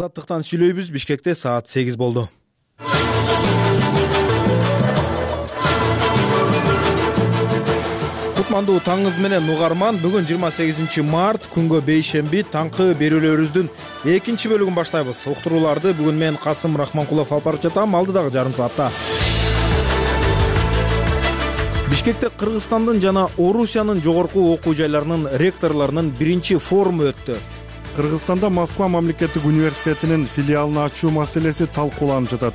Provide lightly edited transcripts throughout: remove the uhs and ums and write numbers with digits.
Азаттыктан сүйлөйбүз. Бишкекте саат 8 болду. Кутмандуу таңыңыз менен угарман. Бүгүн 28 март, күнгө бейшемби, таңкы берүүлөрүбүздүн экинчи бөлүгүн баштайбыз. Уктурууларды бүгүн мен Касым Рахманкулов алып барып жатам. Алдыдагы жарым саатта Бишкекте Кыргызстандын жана Орусиянын жогорку окуу жайларынын ректорлорунун биринчи форуму өттү. Кыргызстанда Москва мамлекеттик университетинин филиалын ачуу маселеси талкууланып жатат.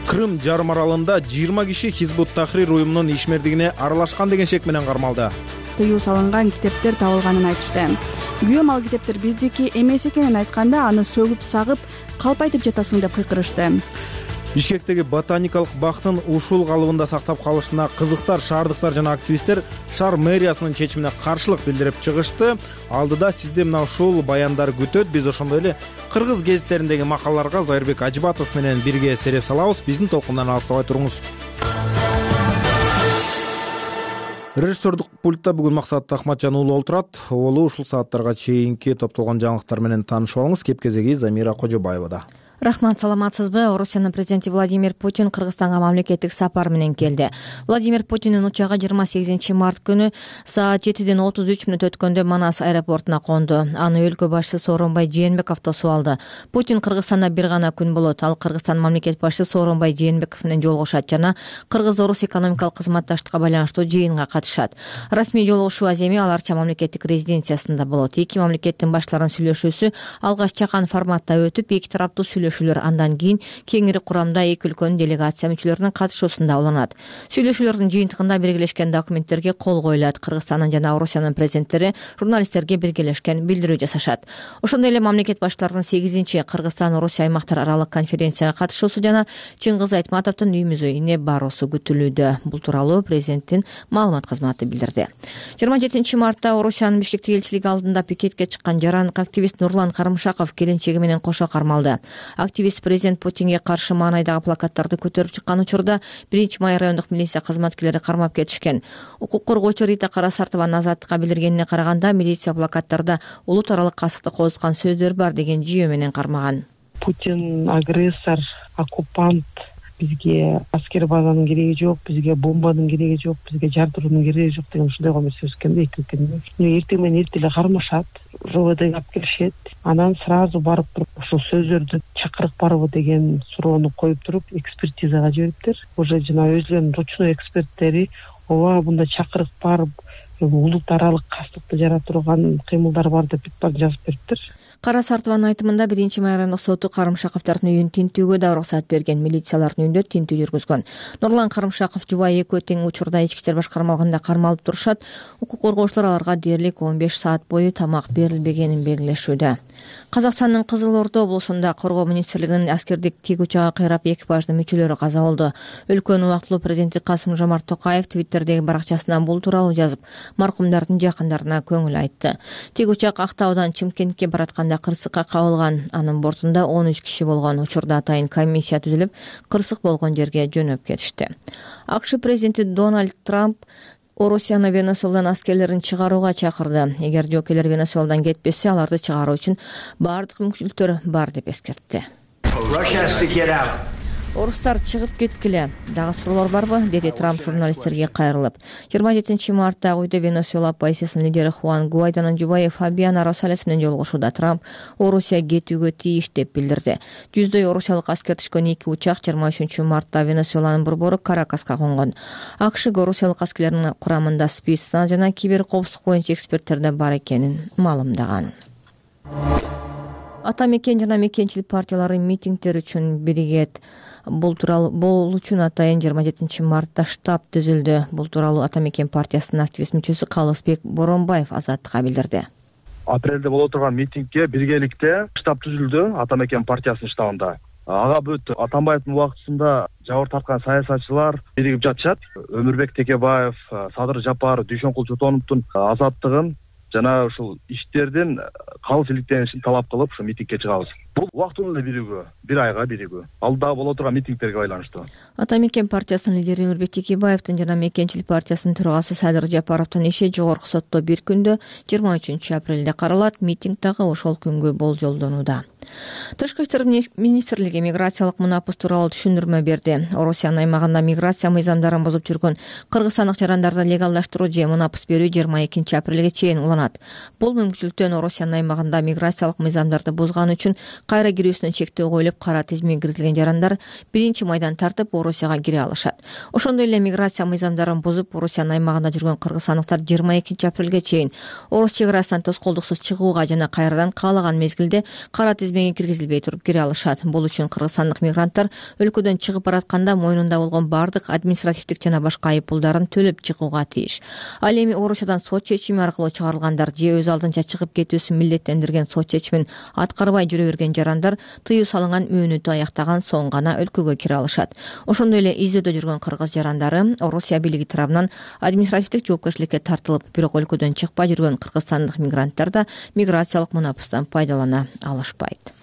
Крым жарым аралында 20 киши Хизбут-Тахрир уюмунун ишмердигине аралашкан деген шек менен кармалды. Тыюу салынган китептер табылганын айтышты. Күйөөм ал китептер биздики эмес экенин айтканда аны сөгүп сагып, калп айтып жатасың деп кыйкырышты. Бишкектеги ботаникалык бактын ушул калыбында сактап калышына кызыктар шаардыктар жана активисттер шаар мэриясынын чечимине каршылык билдирип чыгышты. Алдыда сизди мына ушул баяндар күтөт. Биз ошондой эле кыргыз гезиттериндеги макалаларга Зайырбек Ажыбатов менен бирге сереп салабыз. Биздин толкундан алыстабай туруңуз. Режиссердук пультта бүгүн Максат Ахматжан уулу отурат. Уулу ушул сааттарга чейинки топтолгон жаңылыктар менен таанышып алыңыз. Кеп-кезеги Замира Кожобаевада. Рахмат, саламатсызбы? Орусиянын президенти Владимир Путин Кыргызстанга мамлекеттик сапар менен келди. Владимир Путиндин учагы 28 март күнү саат 7:33 өткөндө Манас аэропортуна конду. Аны өлкө башчысы Сооронбай Жээнбеков тосуп алды. Путин Кыргызстанда бир гана күн болот. Ал Кыргызстан мамлекет башчысы Сооронбай Жээнбеков менен жолугушат жана Кыргыз-Орус экономикалык кызматташтыкка байланыштуу жыйынга катышат. Расмий жолугушуу аземи аларча мамлекеттик резиденциясында болот. Эки мамлекеттин баштарынын сүйлөшүүсү алгач чакан форматта өтүп, эки тараптуу андан кийин кеңири курамда эки өлкөнүн делегация мүчөлөрүнүн катышуусунда уланат. Сүйлөшүүлөрдүн жыйынтыгында биргелешкен документтерге кол коюлат. Кыргызстандын жана Орусиянын президенттери журналисттерге биргелешкен билдирүү жасашат. Ошондой эле мамлекет баштарынын 8-чи Кыргызстан-Орусия аймактар аралык конференцияга катышуусу жана Чыңгыз Айтматовдун үйүмүзгө ийне баруусу күтүлүүдө. Бул тууралуу президенттин маалымат кызматы билдирди. 27 мартта Орусиянын Бишкектеги элчилиги алдында пикетке чыккан жарандык активист Нурлан Карымшаков келинчеги менен кошо кармалды. Активист президент Путинге каршы маанайдагы плакаттарды көтөрүп чыккан учурда 1-май райондук милиция кызматкерлери кармап кетишкен. Укук коргоочу Рита Карасартованын Азаттыкка билдиргенине караганда, милиция плакаттарда улут аралык касыкты козуткан сөздөр бар деген жүйө менен кармаган. Путин агрессор, оккупант, бизге аскер базанын кереги жок, бизге бомбанын кереги жок, бизге жардыруунун кереги жок деген ушундай гомер сөз экен да эки өлкөнүн. Эртең менен эртеле кармашат, ЖОВДга алып келишет. Анан сразу барып туруп ушул сөздөрдү чакырык барбы деген суроону коюп туруп экспертизага жибериптир. Уже жана өзүлөрүнүн ручной эксперттери ооба мында чакырык бар, улут аралык кастыкты жаратырган кыймылдар бар деп жазып бериптир. Карасартованын айтымында 1-май райондук соту Карымшаковдордун үйүн тинтүүгө да уруксат берген. Милициялардын үйүндө тинтүү жүргүзгөн. Нурлан Карымшаков жубайы экөө тең учурда ички иштер башкармалыгында кармалып турушат. Укук коргоочулар аларга дээрлик 15 саат бою тамак берилбегенин белгилешүүдө. Казакстандын Кызыл Ордо облусунда коргоо министрлигинин аскердик тик учагы кыйрап экипаждын мүчөлөрү каза болду. Өлкөнүн убактылуу президенти Касым-Жомарт Токаев Твиттердеги баракчасынан бул тууралуу жазып, маркумдардын жакындарына көңүл айтты. Тик учак Актаудан Чымкентке баратканда кырсыкка кабылган. Анын бортунда 13 киши болгон. Учурда атайын комиссия түзүлүп, кырсык болгон жерге жөнөп кетишти. АКШ президенти Дональд Трамп Орусияны Венесуэладан аскерлерин чыгарууга чакырды. Эгер жокейлер Венесуэладан кетпесе, аларды чыгаруу үчүн баардык мүмкүнчүлүктөр бар деп эскертти. Орустар чыгып кеткиле. Дагы суроолор барбы? Деди Трамп журналисттерге кайрылып. 27 мартта үйдө Венесуэла оппозициясынын лидери Хуан Гуайдонун жубайы Фабиана Росалес менен жолугушууда Трамп Орусия кетүүгө тийиш деп билдирди. Жүздөй орусиялык аскер түшкөн эки учак 23 мартта Венесуэланын борбору Каракаска конгон. АКШ орусиялык аскерлердин курамында спецназ жана кибер коопсуздук боюнча эксперттер да бар экенин маалымдаган. Ата мекен жана мекенчилик партиялары митингдер үчүн биригет. Бул үчүн атайын 27 мартта штаб түзүлдү. Бул тууралуу Ата мекен партиясынын активист мүчөсү Калысбек Боронбаев Азаттыкка билдирди. Апрелде боло турган митингге биргеликте штаб түзүлдү Ата мекен партиясынын штабында. Ага бүт Атамбаевдин убактысында жабыр тарткан саясатчылар биригип жатышат. Өмүрбек Текебаев, Садыр Жапар, Дүйшөнкул Чотоновдун азаттыгын жана ушул иштердин калыс иликтенишин талап кылып ушу митингге чыгабыз. Бул убактылуу эле биригүү, бир айга биригүү. Алдыда боло турган митингтерге байланыштуу. Ата мекен партиясынын лидери Өмүрбек Текебаевдин жана мекенчилик партиясынын төрагасы Садыр Жапаровдун иши жогорку сотто бир күндө 23 апрелде каралат. Митинг дагы ошол күнгө болжолдонууда. Тышкы иштер министрлиги миграциялык мунапыс тууралуу түшүндүрмө берди. Орусиянын аймагында миграция мыйзамдарын бузуп жүргөн кыргызстандык жарандарды легалдаштыруу же мунапыс берүү 22 апрелге чейин уланат. Бул мүмкүнчүлүктөн Орусиянын аймагында миграциялык мыйзамдарды бузганы үчүн кайра кирүүсүнө чектөө коюлуп, кара тизимге киргизилген жарандар 1-майдан тартып Орусияга кире алышат. Ошондой эле миграция мыйзамдарын бузуп Орусиянын аймагында жүргөн кыргызстандыктар 22 апрелге чейин Орус чек арасынан тоскоолдуксуз чыгууга жана кайрадан каалаган мезгилде кара тизмеге киргизилбей туруп кире алышат. Бул үчүн кыргызстандык мигранттар өлкөдөн чыгып баратканда мойнунда болгон бардык административдик жана башка айыппулдарын төлөп чыгууга тийиш. Ал эми Орусиядан сот чечими аркылуу чыгарылгандар же өз алдынча чыгып кетүүсүн милдеттендирген сот чечимин аткарбай жүрө берген жарандар тыюу салынган мөөнөтү аяктаган соң гана өлкөгө кире алышат. Ошондой эле издөөдө жүргөн кыргыз жарандары Орусия бийлиги тарабынан административдик жоопкерчиликке тартылып, бирок өлкөдөн чыкпай жүргөн кыргызстандык мигранттар да миграциялык мунапыстан пайдалана алышпайт.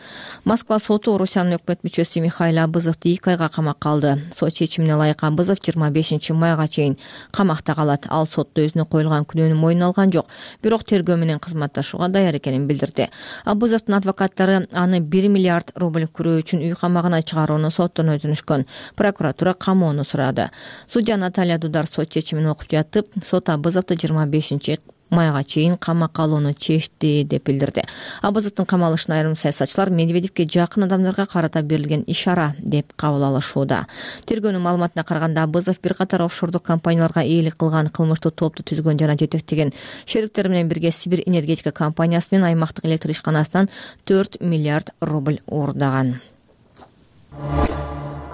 Москва соту Орусиянын өкмөт мүчөсү Михаил Абызовду 2 айга камакка алды. Сот чечимине ылайык Абызов 25 майга чейин камакта калат. Ал сотто өзүнө коюлган күнөөнү мойнуна алган жок, бирок тергөө менен кызматташууга даяр экенин билдирди. Абызовдун адвокаттары аны 1 миллиард рубль күрөө үчүн үй камагына чыгарууну соттон өтүнүшкөн. Прокуратура камоону сурады. Судья Наталья Дудар сот чечимин окуп жатып, сот Абызовду 25 майга чейин камакка алууну чечти деп билдирди. Абызовдун камалышын айрым саясатчылар Медведевке жакын адамдарга карата берилген ишара деп кабыл алышууда. Тергөөнүн маалыматына караганда Абызов бир катар офшордук компанияларга ээлик кылган, кылмыштуу топту түзгөн жана жетектеген. Шериктери менен бирге Сибирь энергетика компаниясы менен аймактык электр ишканасынан 4 миллиард рубль уурдаган.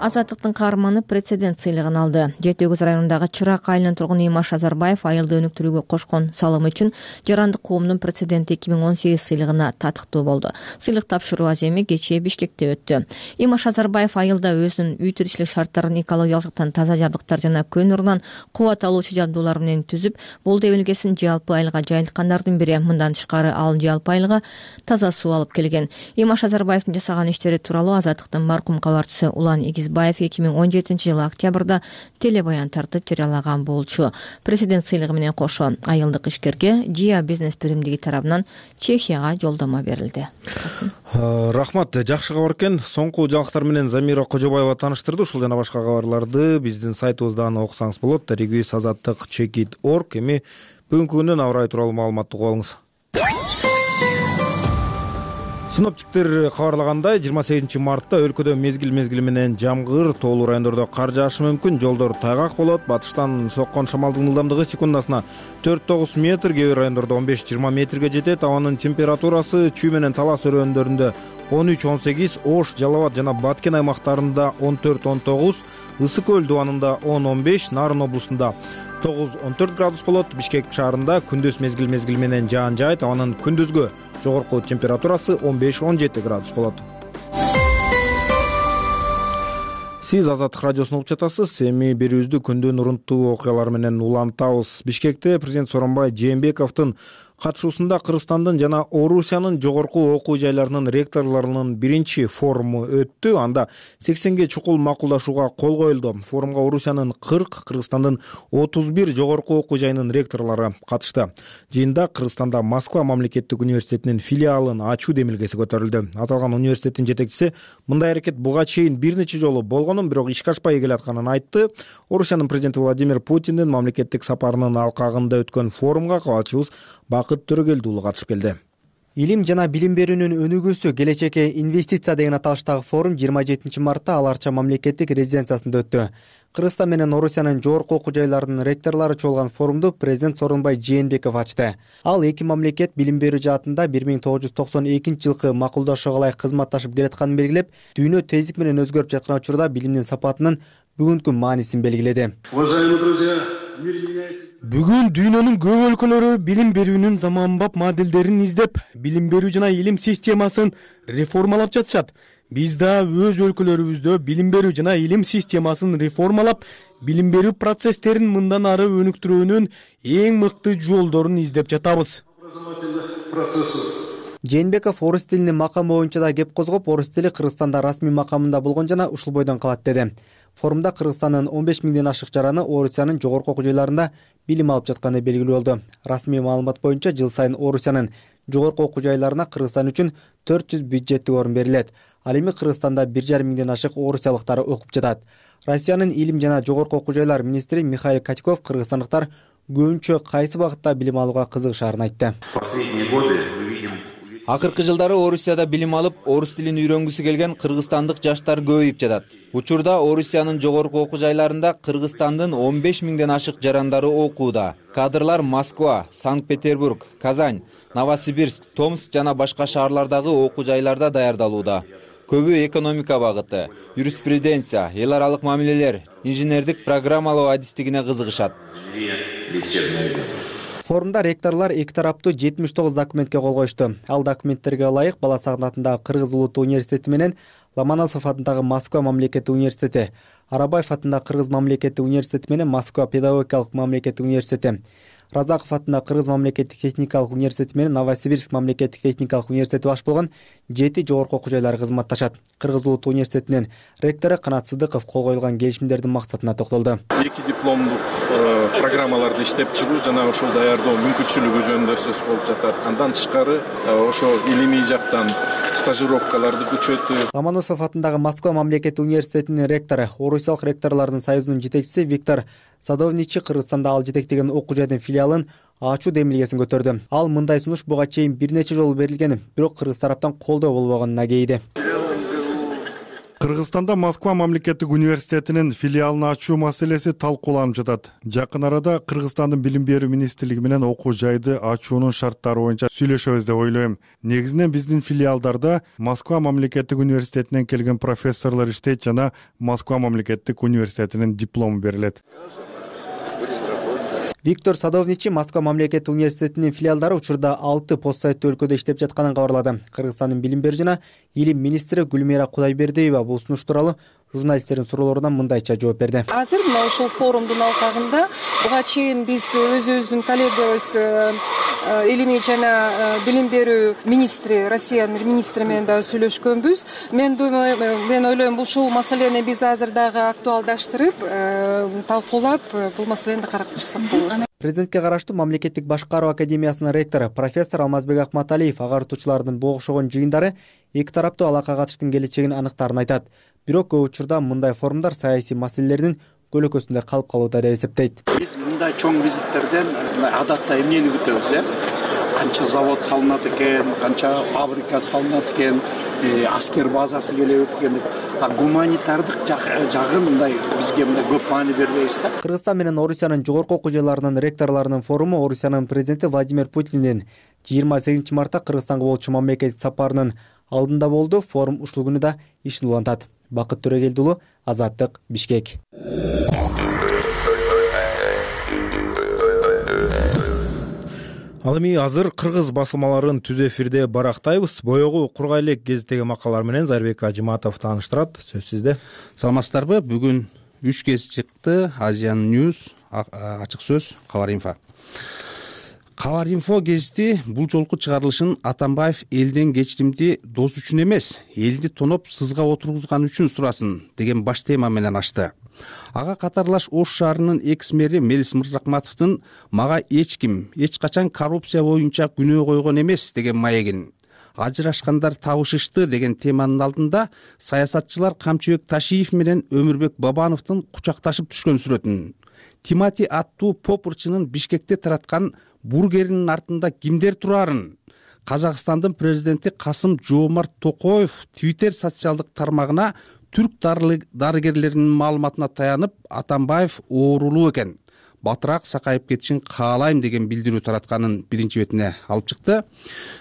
Азаттыктын каарманы прецедент сыйлыгын алды. Жети Өгүз районундагы Чырак айылынын тургуну Имаш Азарбаев айылды өнүктүрүүгө кошкон салымы үчүн жарандык коомдун прецеденти 2018 сыйлыгына татыктуу болду. Сыйлык тапшыруу аземи кечээ Бишкекте өттү. Имаш Азарбаев айылда өзүнүн үй тиричилик шарттарын экологиялык жактан таза жабдыктар жана көң нурунан кубат алуучу жабдуулар менен түзүп, бул дебелгесин жалпы айылга жайылткандардын бири. Мындан тышкары ал жалпы айылга таза суу алып келген. Имаш Азарбаевдин жасаган иштери тууралуу Азаттыктын маркум кабарчысы Улан Игизбаев 2017 жылы октябрда телебаян тартып жарыялаган болчу. Президент сыйлыгы менен кошо айылдык ишкерге Жия бизнес биримдиги тарабынан Чехияга жолдомо берилди. Рахмат, жакшы кабар экен. Соңку жаңылыктар менен Замира Кожобаева тааныштырды. Ушул жана башка кабарларды биздин сайтыбыздан окусаңыз болот. Региз азаттык chekit.org. Эми бүгүнкү күндүн аба ырайы тууралуу маалыматты угуп алыңыз. Синоптиктер кабарлагандай 28 мартта өлкөдө мезгил менен жамгыр, тоолуу райондордо кар жаашы мүмкүн, жолдор тайгак болот. Батыштан соккон шамалдын ылдамдыгы секундасына 4-9 метр, кээ бир райондордо 15-20 метрге жетет. Абанын температурасы Чүй менен Талас өрөөндарында 13-18, Ош, Жалал Абад жана Баткен аймактарында 14-19, Ысык көл дубанында 10-15, Нарын облусунда 9-14 градус болот. Бишкек шаарында күндүз мезгил менен жаан жаайт. Абанын күндүзгү жогорку температурасы 15-17 градус болот. Сиз Азаттык радиосун угуп жатасыз. Эми берүүбүздү күндүн урунттуу окуялары менен улантабыз. Бишкекте президент Сооронбай Жээнбековдун катышуусунда Кыргызстандын жана Орусиянын жогорку окуу жайларынын ректорлорунун биринчи форуму өттү. Анда 80ге чукул макулдашууга кол коюлду. Форумга Орусиянын 40, Кыргызстандын 31 жогорку окуу жайынын ректорлору катышты. Жыйында Кыргызстанда Москва мамлекеттик университетинин филиалын ачуу демилгеси көтөрүлдү. Аталган университеттин жетекчиси мындай аракет буга чейин бир нече жолу болгонун, бирок ишке ашпай келатканын айтты. Орусиянын президенти Владимир Путиндин мамлекеттик сапарынын алкагында өткөн форумга кабарчыбыз Бакыт Төрөгелди уулу катышып келди. Илим жана билим берүүнүн өнүгүүсү, келечекке инвестиция деген аталыштагы форум 27 мартта Ал Арча мамлекеттик резиденциясында өттү. Кыргызстан менен Орусиянын жогорку окуу жайларынын ректорлору чогулган форумду президент Сооронбай Жээнбеков ачты. Ал эки мамлекет билим берүү жаатында 1992 жылкы макулдашууга ылайык кызматташып келатканын белгилеп, дүйнө тездик менен өзгөрүп жаткан учурда билимдин сапатынын бүгүнкү маанисин белгиледи. Уважаемые друзья, Бүгүн дүйнөнүн көп өлкөлөрү билим берүүнүн заманбап моделдерин издеп, билим берүү жана илим системасын реформалап жатышат. Биз да өз өлкөлөрүбүздө билим берүү жана илим системасын реформалап, билим берүү процесстерин мындан ары өнүктүрүүнүн эң мыкты жолдорун издеп жатабыз. Жээнбеков орус тилинин макамы боюнча да кеп козгоп, орус тили Кыргызстанда расмий макамында болгон жана ушул бойдон калат деди. Форумда Кыргызстандын 15 миңден ашык жараны Орусиянын жогорку окуу жайларында билим алып жатканы белгилүү болду. Расмий маалымат боюнча жыл сайын Орусиянын жогорку окуу жайларына Кыргызстан үчүн 400 бюджеттик орун берилет. Ал эми Кыргызстанда 1,5 миңден ашык орусиялыктар окуп жатат. Россиянын илим жана жогорку окуу жайлар министри Михаил Катьков кыргызстандыктар көбүнчө кайсы багытта билим алууга кызыгышаарын айтты. Акыркы жылдары Орусияда билим алып, орус тилин үйрөнгүсү келген кыргызстандык жаштар көбөйүп жатат. Учурда Орусиянын жогорку окуу жайларында Кыргызстандын 15 миңден ашык жарандары окууда. Кадрлар Москва, Санкт-Петербург, Казань, Новосибирск, Томск жана башка шаарлардагы окуу жайларда даярдалууда. Көбү экономика багыты, юриспруденция, эл аралык мамилелер, инженердик программалоо адистигине кызыгышат. Форумда ректорлор эки тараптуу 79 документке кол коюшту. Ал документтерге ылайык Бала Сагынат атындагы Кыргыз улуттук университети менен Ломоносов атындагы Москва мамлекеттик университети, Арабаев атындагы Кыргыз мамлекеттик университети менен Москва педагогикалык мамлекеттик университети, Разаков атындагы Кыргыз мамлекеттик техникалык университети менен Новосибирск мамлекеттик техникалык университети баш болгон 7 жогорку окуу жайлары кызматташат. Кыргыз улуттук университетинин ректору Канат Сыдыков кол коюлган келишимдердин максатына токтолду. Эки дипломдук программаларды иштеп чыгуу жана ошол даярдоо мүмкүнчүлүгү жөнүндө сөз болуп жатат. Андан тышкары ошо илимий жактан стажировкаларды күчөтүү. Ломоносов атындагы Москва мамлекеттик университетинин ректору, Орусиялык ректорлордун союзунун жетекчиси Виктор Садовничий Кыргызстанда ал жетектеген окуу жайдын филиалын ачуу демилгесин көтөрдү. Ал мындай сунуш буга чейин бир нече жолу берилген, бирок Кыргыз тараптан колдоо болбогонуна кейиди. Кыргызстанда Москва мамлекеттик университетинин филиалын ачуу маселеси талкууланып жатат. Жакын арада Кыргызстандын билим берүү министрлиги менен окуу жайды ачуунун шарттары боюнча сүйлөшөбүз деп ойлойм. Негизинен биздин филиалдарда Москва мамлекеттик университетинен келген профессорлор иштейт жана Москва мамлекеттик университетинин диплому берилет. Виктор Садовничий Москва мамлекеттик университетинин филиалдары учурда 6 постсайттуу өлкөдө иштеп жатканын кабарлады. Кыргызстандын билим берүү жана илим министри Гүлмира Кудайбердиева бул сунуш тууралуу журналисттердин суроолоруна мындайча жооп берди. Азыр мына ушул форумдун алкагында буга чейин биз өзүбүздүн коллегабыз илимий жана билим берүү министри, Россиянын министри менен дагы сүйлөшкөнбүз. Мен ойлойм ушул маселени биз азыр дагы актуалдаштырып, талкуулап, бул маселени карап чыксак болот. Президентке караштуу мамлекеттик башкаруу академиясынын ректору профессор Алмазбек Акматалиев агарытуучулардын бул окшогон жыйындары эки тараптуу алака катыштын келечегин аныктаарын айтат. Бирок көп учурда мындай форумдар саясий маселелердин көлөкөсүндө калып калууда деп эсептейт. Биз мындай чоң визиттерден адатта эмнени күтөбүз, канча завод салынат экен, канча фабрика салынат экен, аскер базасы келет экен. Гуманитардык жагын мындай бизге мындай көп маани бербейбиз да. Кыргызстан менен Орусиянын жогорку окуу жайларынын ректорлорунун форуму Орусиянын президенти Владимир Путиндин 28 мартта Кыргызстанга болчу мамлекеттик сапарынын алдында болду. Форум ушул күнү да ишин улантат. Бакыт Төрөгелди уулу, Азаттык, Бишкек. Ал эми азыр кыргыз басылмаларын түз эфирде барактайбыз. Боёгу кургай элек гезиттеги макалалар менен Зарбек Ажыматов тааныштырат. Сөз сизде. Саламатсыздарбы? Бүгүн 3 гезит чыкты. Asian News, Ачык сөз, Кабар Инфо. Кабар Инфо гезити бул жолку чыгарылышын Атамбаев элден кечиримди дос үчүн эмес, элди тоноп сызга отургузган үчүн сурасын деген баш тема менен ачты. Ага катарлаш Ош шаарынын экс-мэри Мелис Мырзакматовдун мага эч ким, эч качан коррупция боюнча күнөө койгон эмес деген маегин, ажырашкандар табышышты деген теманын алдында саясатчылар Камчыбек Ташиев менен Өмүрбек Бабановдун кучакташып түшкөн сүрөтүн, Тимати аттуу попурчунун Бишкекте тараткан бургеринин артында кимдер турарын, Казакстандын президенти Касым Жоомарт Токоев Twitter социалдык тармагына түрк дарыгерлеринин маалыматына таянып Атамбаев оорулуу экен, батыраак сакайып кетишин каалайм деген билдирүү таратканын биринчи бетине алып чыкты.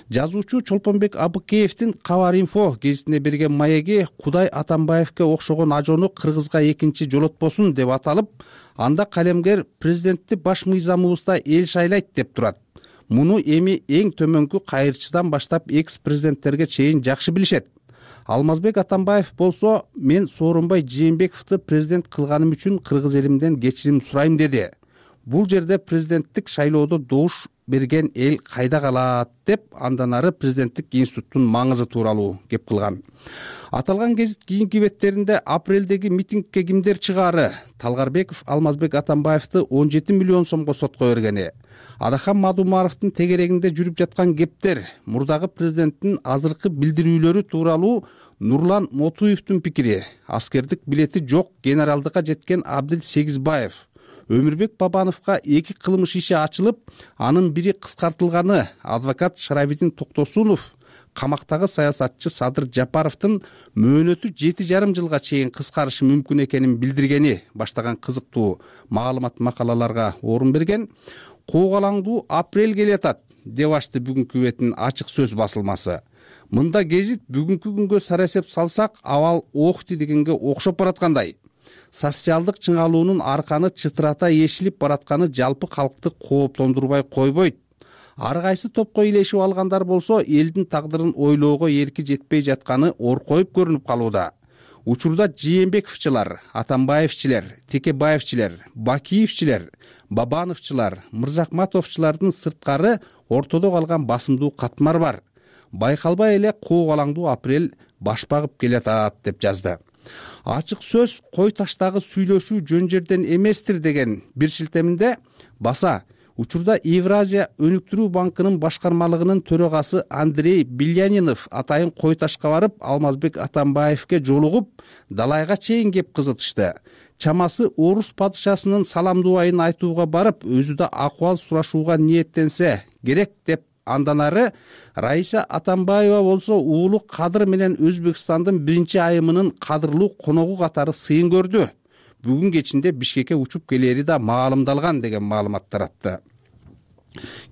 Жазуучу Чолпонбек Абыкеевдин Кабар Инфо гезитине берген маеги Кудай Атамбаевке окшогон ажону Кыргызга экинчи жолотпосун деп аталып, анда калемгер президентти баш мыйзамыбызда эл шайлайт деп турат. Муну эми эң төмөнкү кайырчыдан баштап экс-президенттерге чейин жакшы билишет. Алмазбек Атамбаев болсо, мен Сооронбай Жээнбековду президент кылганым үчүн кыргыз элимден кечирим сурайм деди. Бул жерде президенттик шайлоодо добуш берген эл кайда калат деп андан ары президенттик институттун маңызы тууралуу кеп кылган. Аталган гезит кийинки беттеринде апрелдеги митингке кимдер чыгаары, Талгарбеков Алмазбек Атамбаевди 17 миллион сомго сотко бергени, Адахан Мадумаровдун тегерегинде жүрүп жаткан кептер, мурдагы президенттин азыркы билдирүүлөрү тууралуу Нурлан Мотуевдун пикири, аскердик билети жок генералдыкка жеткен Абдил Сегизбаев, Өмүрбек Бабановго 2 кылмыш иши ачылып, анын бири кыскартылганы, адвокат Шарабидин Токтосунов камактагы саясатчы Садыр Жапаровдун мөөнөтү 7,5 жылга чейин кыскарышы мүмкүн экенин билдиргени баштаган кызыктуу маалымат макалаларга орун берген. Куугалаңдуу апрель келатат деп ачты бүгүнкү бетин ачык сөз басылмасы. Мында гезит бүгүнкү күнгө сарасеп салсак, абал окти дегенге окшоп бараткандай. Социалдык чыңалуунун арканы чытырата эшилип баратканы жалпы калкты кооптондурбай койбойт. Ар кайсы топко илешип алгандар болсо, элдин тагдырын ойлоого эрки жетпей жатканы оркоюп көрүнүп калууда. Учурда Жээнбековчулар, Атамбаевчилер, Текебаевчилер, Бакиевчилер, Бабановчулар, Мырзахматовчулардын сырткары ортодо калган басымдуу катмар бар. Байкалбай эле куугалаңдуу апрель баш багып келатат деп жазды. Ачык сөз кой таштагы сүйлөшүү жөн жерден эместир деген бир шилтеминде баса, учурда Евразия өнүктүрүү банкынын башкармалыгынын төрөгасы Андрей Билянинов атайын кой ташка барып, Алмазбек Атамбаевге жолугуп, далайга чейин кеп кызытышты. Чамасы орус падышасынын саламдуу айын айтууга барып, өзү да акыбал сурашууга ниеттенсе керек деп андан ары Раиса Атамбаева болсо уулу Кадыр менен Өзбекстандын 1-айымынын кадырлуу коногу катары сыйын көрдү. Бүгүн кечинде Бишкекке учуп келери да маалымдалган деген маалымат таратты.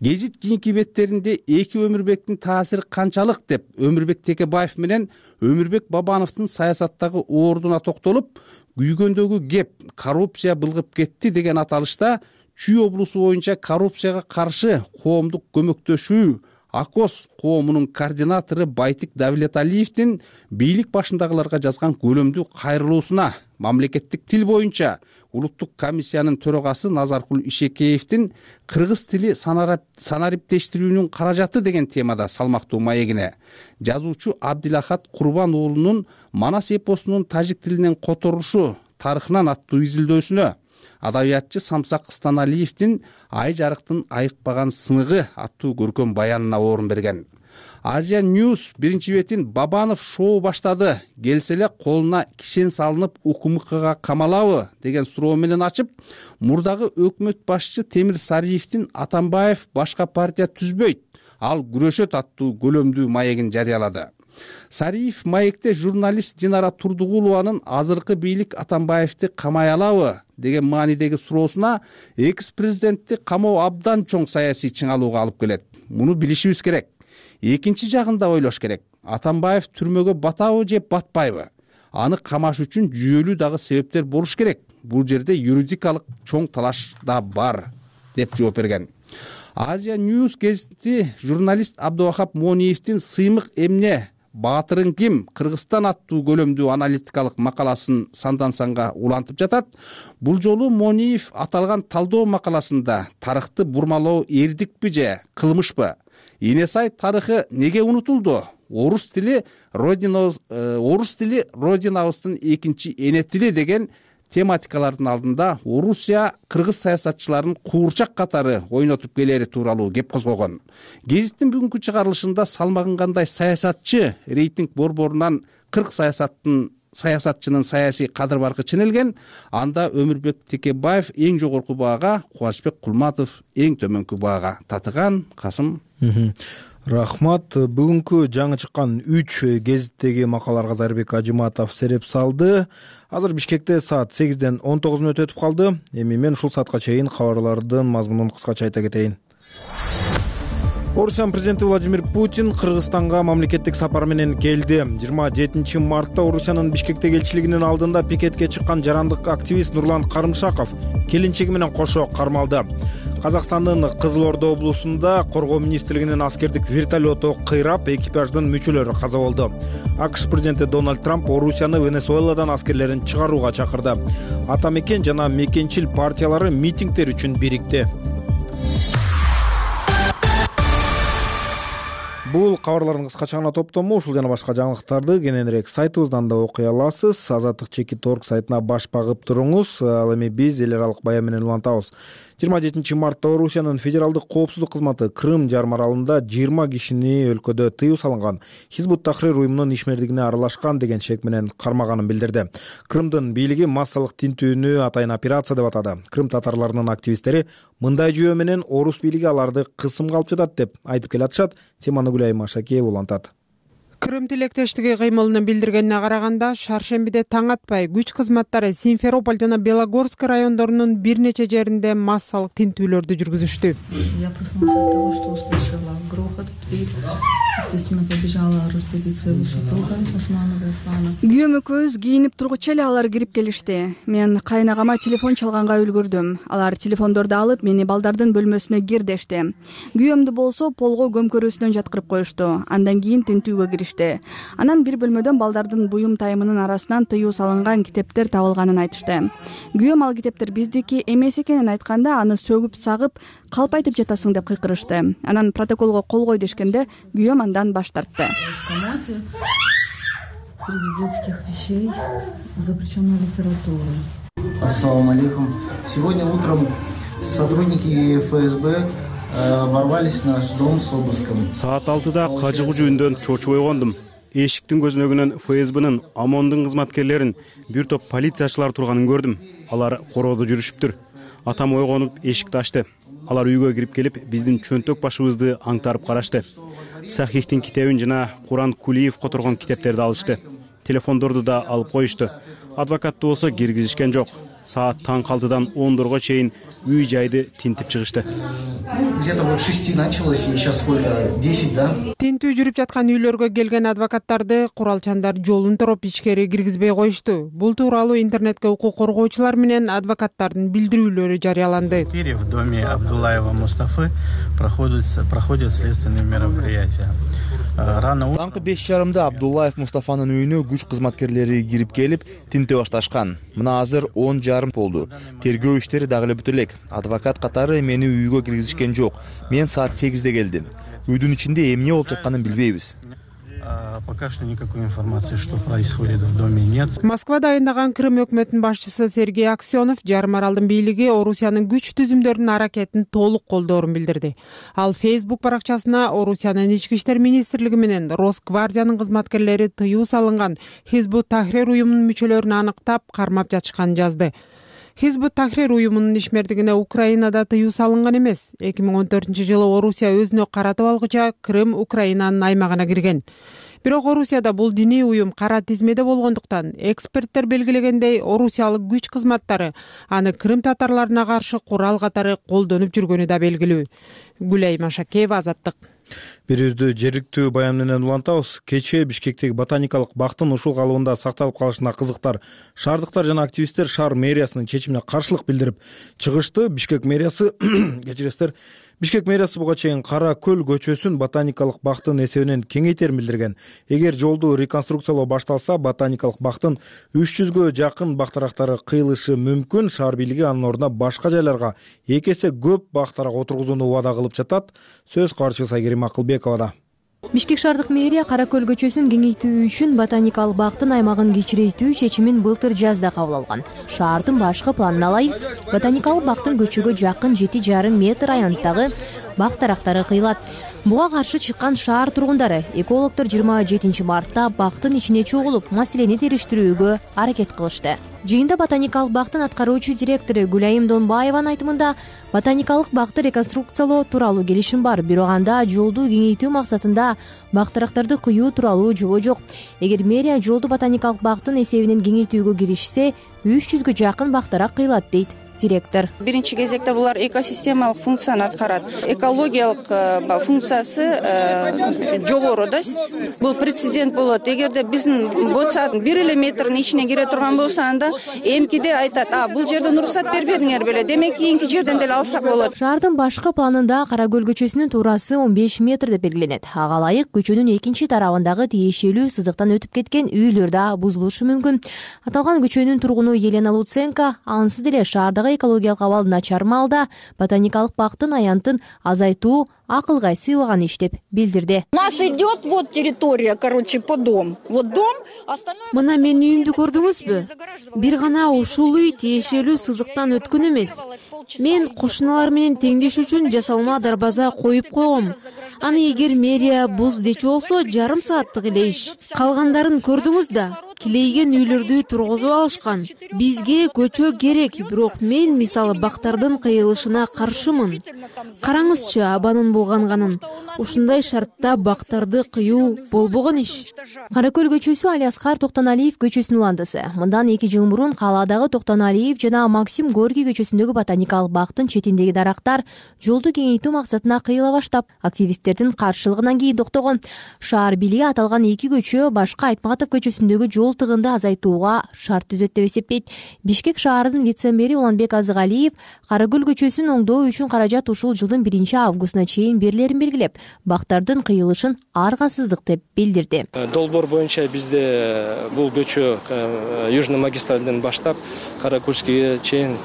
Гезит кийинки беттеринде эки Өмүрбектин таасири канчалык деп Өмүрбек Текебаев менен Өмүрбек Бабановдун саясаттагы ордуна токтолуп, күйгөндөгү кеп коррупция былгып кетти деген аталышта Чүй облусу боюнча коррупцияга каршы коомдук көмөктөшүү АКОС коомунун координатору Байтик Давлеталиевдин бийлик башындагыларга жазган көлөмдүү кайрылуусуна мамлекеттик тил боюнча улуттук комиссиянын төрагасы Назаркул Ишекеевдин кыргыз тили санариптештирүүнүн каражаты деген темада салмактуу маегине, жазуучу Абдилахат Курбан уулунун Манас эпосунун тажик тилинен которушу тарыхынан аттуу изилдөөсүнө, адабиятчы Самсак Станалиевдин Ай жарыктын айыкпаган сыныгы аттуу көркөм баянына орун берген. Азия News биринчи бетин Бабанов шоу баштады, келсе эле колуна кишен салынып УКМКга камалабы деген суроо менен ачып, мурдагы өкмөт башчы Темир Сариевдин Атамбаев башка партия түзбөйт, ал күрөшөт аттуу көлөмдүү маегин жарыялады. Сариев маекте журналист Динара Турдугулованын азыркы бийлик Атамбаевди камай алабы деген маанидеги суроосуна экс-президентти камоо абдан чоң саясий чыңалууга алып келет. Муну билишибиз керек. Экинчи жагын да ойлош керек. Атамбаев түрмөгө батабы же батпайбы? Аны камаш үчүн жүйөлүү дагы себептер болуш керек. Бул жерде юридикалык чоң талаш да бар деп жооп берген. Азия News гезити журналист Абдувахап Мониевдин Сыймык эмне Баатырың ким? Кыргызстан аттуу көлөмдүү аналитикалык макаласын сандан санга улантып жатат. Бул жолу Мониев аталган талдоо макаласында тарыхты бурмалоо эрдикпи же кылмышпы? Энесай тарыхы неге унутулду? Орус тили родинабыздын экинчи эне тили деген тематикалардын алдында Орусия кыргыз саясатчыларын куурчак катары ойнотуп келери тууралуу кеп козгогон. Гезиттин бүгүнкү чыгарылышында салмагын кандай саясатчы рейтинг борборунан 40 саясатчынын саясий кадыр баркы ченелген, анда Өмүрбек Текебаев эң жогорку баага, Кубанычбек Кулматов эң төмөнкү баага татыган. Касым. Рахмат. Бүгүнкү жаңы чыккан 3 гезиттеги макалаларга Зарбек Ажыматов сереп салды. Азыр Бишкекте саат 8-ден 19 мүнөт өтүп калды. Эми мен ушул саатка чейин кабарлардын мазмунун кыскача айта кетейин. Орусиянын президенти Владимир Путин Кыргызстанга мамлекеттик сапар менен келди. 27 мартта Орусиянын Бишкектеги элчилигинин алдында пикетке чыккан жарандык активист Нурлан Карымшаков келинчеги менен кошо кармалды. Казакстандын Кызыл Орда облусунда коргоо министрлигинин аскердик вертолету кыйрап, экипаждын мүчөлөрү каза болду. АКШ президенти Дональд Трамп Орусияны Венесуэладан аскерлерин чыгарууга чакырды. Ата мекен жана мекенчил партиялары митингдер үчүн бирикти. бул кабарлардын кыскача гана топтому. Ушул жана башка жаңылыктарды кененирээк сайтыбыздан да окуй аласыз. Азаттык.org сайтына баш багып туруңуз. Ал эми биз эл аралык баян менен улантабыз. 27 мартта Орусиянын федералдык коопсуздук кызматы Крым жарым аралында 20 кишини өлкөдө тыюу салынган Хизбут Тахрир уюмунун ишмердигине аралашкан деген шек менен кармаганын билдирди. Крымдын бийлиги массалык тинтүүнү атайын операция деп атады. Крым татарларынын активисттери мындай жүйө менен орус бийлиги аларды кысымга алып жатат деп айтып келатышат. Теманы Гүлайым Машакеева улантат. Крым тилектештиги кыймылын билдиргенине караганда, шаршембиде таң атпай күч кызматтары Симферополь жана Белогорск райондорунун бир нече жеринде массалык тинтүүлөрдү жүргүзүштү. Я проснулась от того, что услышала грохот в дверь. Естественно, побежала разбудить своего супруга Усманова Ирфана. Күйөөм экөөбүз кийинип тургучу эле алар кирип келишти. Мен кайнагама телефон чалганга үлгүрдүм. Алар телефондорду алып, мени балдардын бөлмөсүнө кир дешти. Күйөөмдү болсо полго көмкөрүүсүнөн жаткырып коюшту. Андан кийин тинтүүгө киришти. Анан бир бөлмөдөн балдардын буюм тайымынын арасынан тыюу салынган китептер табылганын айтышты. Күйөөм ал китептер биздики эмес экенин айтканда, аны сөгүп сагып, калпайтып жатасың деп кыйкырышты. Анан протоколго кол кой дешкенде, күйөөм андан баш тартты. Среди детских вещей запрещенная литература. Ассаламу алейкум. Сегодня утром сотрудники ФСБ ворвались в наш дом с обыском. Саат 6-да кажыгуу үндөн чочуп ойгондум. Эшиктин көзүнөгүнөн ФСБнын ОМОНдун кызматкерлерин бир топ полициячылар турганын көрдүм. Алар короодо жүрүшүптүр. Атам ойгонуп эшикти ачты. Алар үйгө кирип келип, биздин чөнтөк башыбызды аңтарып карашты. Сахихтин китебин жана Куран Кулиев которгон китептерди алышты. Телефондорду да алып коюшту. Адвокатты болсо киргизишкен жок. Саат таң 6-дан 10-дорго чейин үй жайды тинтип чыгышты. Где-то вот 6 началось, и сейчас сколько? 10, да? Тинтүү жүрүп жаткан үйлөргө келген адвокаттарды куралчандар жолун тороп ичкери киргизбей коюшту. Бул тууралуу интернетке укук коргоочулар менен адвокаттардын билдирүүлөрү жарыяланды. В доме Абдуллаева Мустафы проходят следственные мероприятия. Таңкы 5:30 Абдуллаев Мустафанын үйүнө күч кызматкерлери кирип келип, тинте башташкан. Мына азыр 10:30 болду. Тергөө иштери дагы эле бүтө элек. Адвокат катары мени үйгө киргизишкен жок. Мен саат 8-де келдим. Үйдүн ичинде эмне болуп жатканын билбейбиз. Пока что никакой информации, что происходит в доме, нет. Москвада айындаган Крым өкмөтүнүн башчысы Сергей Аксенов жарым аралдын бийлиги Орусиянын күч түзүмдөрүнүн аракетин толук колдоорун билдирди. Ал Facebook баракчасына Орусиянын ички иштер министрлиги менен Росгвардиянын кызматкерлери тыюу салынган Хизбут Тахрир уюмунун мүчөлөрүн аныктап, кармап жатышканын жазды. Хизбут Тахрир уюмунун ишмердигине Украинада тыюу салынган эмес. 2014-жылы Орусия өзүнө каратып алгыча Крым Украинанын аймагына кирген. Бирок Орусияда бул диний уюм кара тизмеде болгондуктан, эксперттер белгилегендей, орусиялык күч кызматтары аны Крым татарларына каршы курал катары колдонуп жүргөнү да белгилүү. Гүлайым Машакеева, Азаттык. Бирибизди жергиликтүү баян менен улантабыз. Кечээ Бишкектеги ботаникалык бактын ушул калыбында сакталып калышына кызыктар шаардыктар жана активисттер шаар мэриясынын чечимине каршылык билдирип чыгышты. Бишкек мэриясы кечиресиздер, Бишкек мэриясы буга чейин Кара көл көчөсүн ботаникалык бактын эсебинен кеңейтерин билдирген. Эгер жолду реконструкциялоо башталса, ботаникалык бактын 300гө жакын бактарактары кыйылышы мүмкүн. Шаар бийлиги анын ордуна башка жайларга 2 эсе көп бактарак отургузууну убада кылып жатат. Сөз каарчысы Айгерим Акылбековада. Бишкек шаардык мэрия Кара көл көчөсүн кеңейтүү үчүн ботаникалык бактын аймагын кичирейтүү чечимин былтыр жазда кабыл алган. Шаардын башкы планына ылайык ботаникалык бактын көчөгө жакын 7,5 метр аянттагы бак дарактары кыйылат. Буга каршы чыккан шаар тургундары экологдор 27 мартта бактын ичине чогулуп, маселени териштирүүгө аракет кылышты. Жыйында ботаникалык бактын аткаруучу директору Гүлайым Донбаеванын айтымында, ботаникалык бакты реконструкциялоо тууралуу келишим бар, бирок анда жолду кеңейтүү максатында бак дарактарды кыюу тууралуу жобо жок. Эгер мэрия жолду ботаникалык бактын эсебинен кеңейтүүгө киришсе, 300гө жакын бак дарак кыйылат дейт директор. Биринчи кезекте булар экосистемалык функцияны аткарат. Экологиялык функциясы жогору да. Бул прецедент болот. Эгерде биздин болсо 1 эле метрдин ичине кире турган болсо, анда эмкиде айтат: бул жерден уруксат бербедиңер беле, демек кийинки жерден деле алсак болот. Шаардын башкы планында Кара көл көчөсүнүн туурасы 15 метр деп белгиленет. Ага ылайык көчөнүн экинчи тарабындагы тиешелүү сызыктан өтүп кеткен үйлөр да бузулушу мүмкүн. Аталган көчөнүн тургуну Елена Луценко ансыз деле шаардагы экологиялык абал начар маалда ботаникалык бактын аянтын азайтуу акылга сыйбаган иш деп билдирди. У нас идет вот территория, под дом. Вот дом, остальное... Мына менин үйүмдү көрдүңүзбү? Бир гана ушул үй тиешелүү сызыктан өткөн эмес. Мен кошуналар менен теңдеш үчүн жасалма дарбаза коюп койгом. Аны эгер мэрия буз дечи болсо, жарым сааттык эле иш. Калгандарын көрдүңүз да. Килейген үйлөрдү тургузуп алышкан. Бизге көчө керек, бирок мен мисалы бактардын кыйылышына каршымын. Караңызчы абанын булганганын. Ушундай шартта бактарды кыюу болбогон иш. Кара Көл көчөсү Алиаскар Токтоналиев көчөсүнүн уландысы. Мындан 2 жыл мурун кааладагы Токтоналиев жана Максим Горький көчөсүндөгү ботаникалык бактын четиндеги дарактар жолду кеңейтүү максатына кыйыла баштап, активисттердин каршылыгынан кийин токтогон. Шаар бийлиги аталган 2 көчө башка Айтматов көчөсүндөгү жол тыгынды азайтууга шарт түзөт деп эсептейт. Бишкек шаарынын вице-мэри Уланбек Азыгалиев Кара Көл көчөсүн оңдоо үчүн каражат ушул жылдын 1-августуна чейин берилерин белгилеп, бактардын кыйылышын аргасыздык деп билдирди. Долбоор боюнча бизде бул көчө Южный магистралден баштап Каракульскийге чейин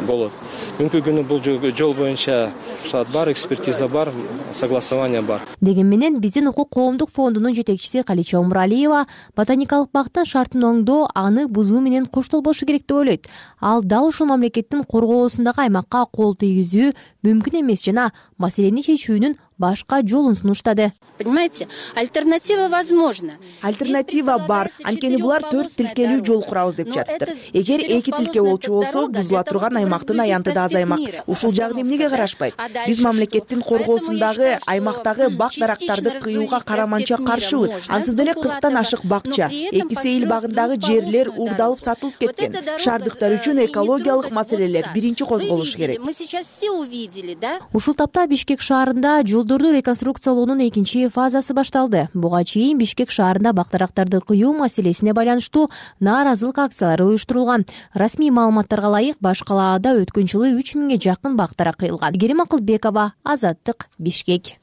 болот. Бүгүнкү күнү бул жол боюнча рұқсат бар, экспертиза бар, согласование бар. Деген менен биздин укук коомдук фондунун жетекчиси Калича Умуралиева ботаникалык бактын шартын оңдоо аны бузуу менен коштолбошу керек деп ойлойт. Ал дал ушул мамлекеттин коргоосундагы аймакка кол тийгизүү мүмкүн эмес жана маселени чечүүнүн башка жолун сунуштады. Понимаете, альтернатива возможна. Альтернатива бар. Анткени булар 4 тилкелүү жол курабыз деп жатыптыр. Эгер 2 тилке болчу болсо, бузула турган аймактын аянты да азаймак. Ушул жагын эмнеге карашпайт? Биз мамлекеттин коргоосундагы аймактагы бак дарактарды кыюуга караманча каршыбыз. Ансыз деле 40тан ашык бакча, 2 Сейил багындагы жерлер уурдалып сатылып кеткен. Шаардыктар үчүн экологиялык маселелер биринчи козголушу керек. Мы сейчас все увидели, да? Ушул тапта Бишкек шаарында жолдорду реконструкциялоонун 2 фазасы башталды. Буга чейин Бишкек шаарында бак дарактарды кыюу маселесине байланыштуу нааразылык акциялары уюштурулган. Расмий маалыматтарга ылайык баш калаада өткөн жылы 3000ге жакын бак дарак кыйылган. Керим Акылбекова, Азаттык, Бишкек.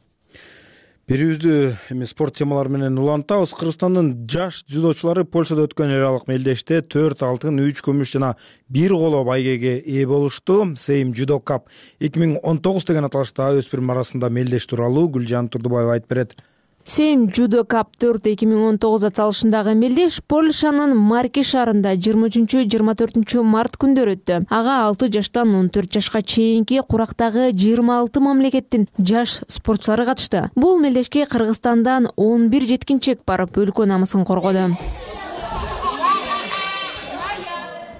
Берүүбүздү спорт темалары менен улантабыз. Кыргызстандын жаш дзюдочулары Польшада өткөн эл аралык мелдеште 4 алтын, 3 күмүш жана 1 коло байгеге ээ болушту. Сейм Judo Cup 2019 деген аталышта өспүрүм арасында мелдеш тууралуу Гүлжан Турдубаева айтып берет. Сейм Judo Cup 4 2019 аталышындагы мелдеш Польшанын Марки шаарында 23-24 март күндөрү өттү. Ага 6 жаштан 14 жашка чейинки курактагы 26 мамлекеттин жаш спортчулары катышты. Бул мелдешке Кыргызстандан 11 жеткинчек барып өлкө намысын коргоду.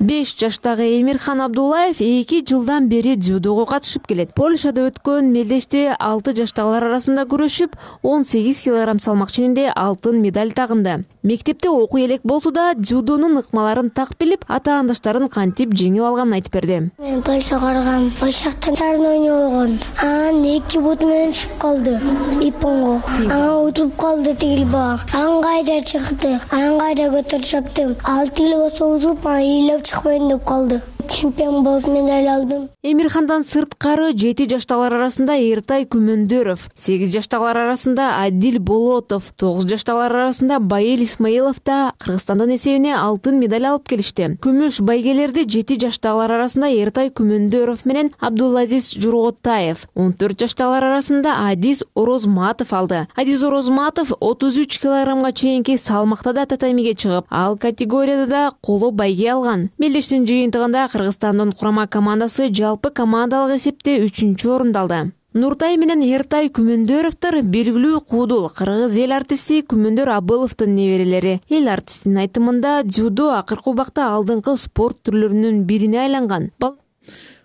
5 жаштагы Эмирхан Абдуллаев 2 жылдан бери дзюдого катышып келет. Польшада өткөн мелдеште 6 жаштагылар арасында күрөшүп, 18 кг салмак ченинде алтын медаль тагынды. Мектепте окуу элек болсо да дзюдонун ыкмаларын так билип, ата-андаштарын кантип жеңип алганын айтып берди. Мен Польшага баргам, Польшада тарын ойноо болгон. Анан 2 бут менен түшүп калды. Ипонго. Анан утуп калды тигил бала. Анан кайда чыкты. Анан кайда көтөрүп чаптым. Ал тигил болсо утуп, ыйлап чыкпайын деп калды. Чемпион болуп медаль алдым. Эмирхандан сырткары 7 жаштагылар арасында Эртай Күмөндөров, 8 жаштагылар арасында Адил Болотов, 9 жаштагылар арасында Байел Исмаилов да Кыргызстандын эсебине алтын медаль алып келишти. Күмүш байгелерди 7 жаштагылар арасында Эртай Күмөндөров менен Абдулазиз Журготаев, 14 жаштагылар арасында Адиз Орозматов алды. Адиз Орозматов 33 кг чейинки салмакта да татамиге чыгып, ал категорияда да коло байге алган. Мелдештин жыйынтыгында Кыргызстандын курама командасы жалпы командалык эсепте 3-чү орунду алды. Нуртай менен Эртай Күмөндөровдор белгилүү куудул кыргыз эл артисти Күмөндөр Абыловдун неберелери. Эл артистинин айтымында дзюдо акыркы убакта алдыңкы спорт түрлөрүнүн бирине айланган.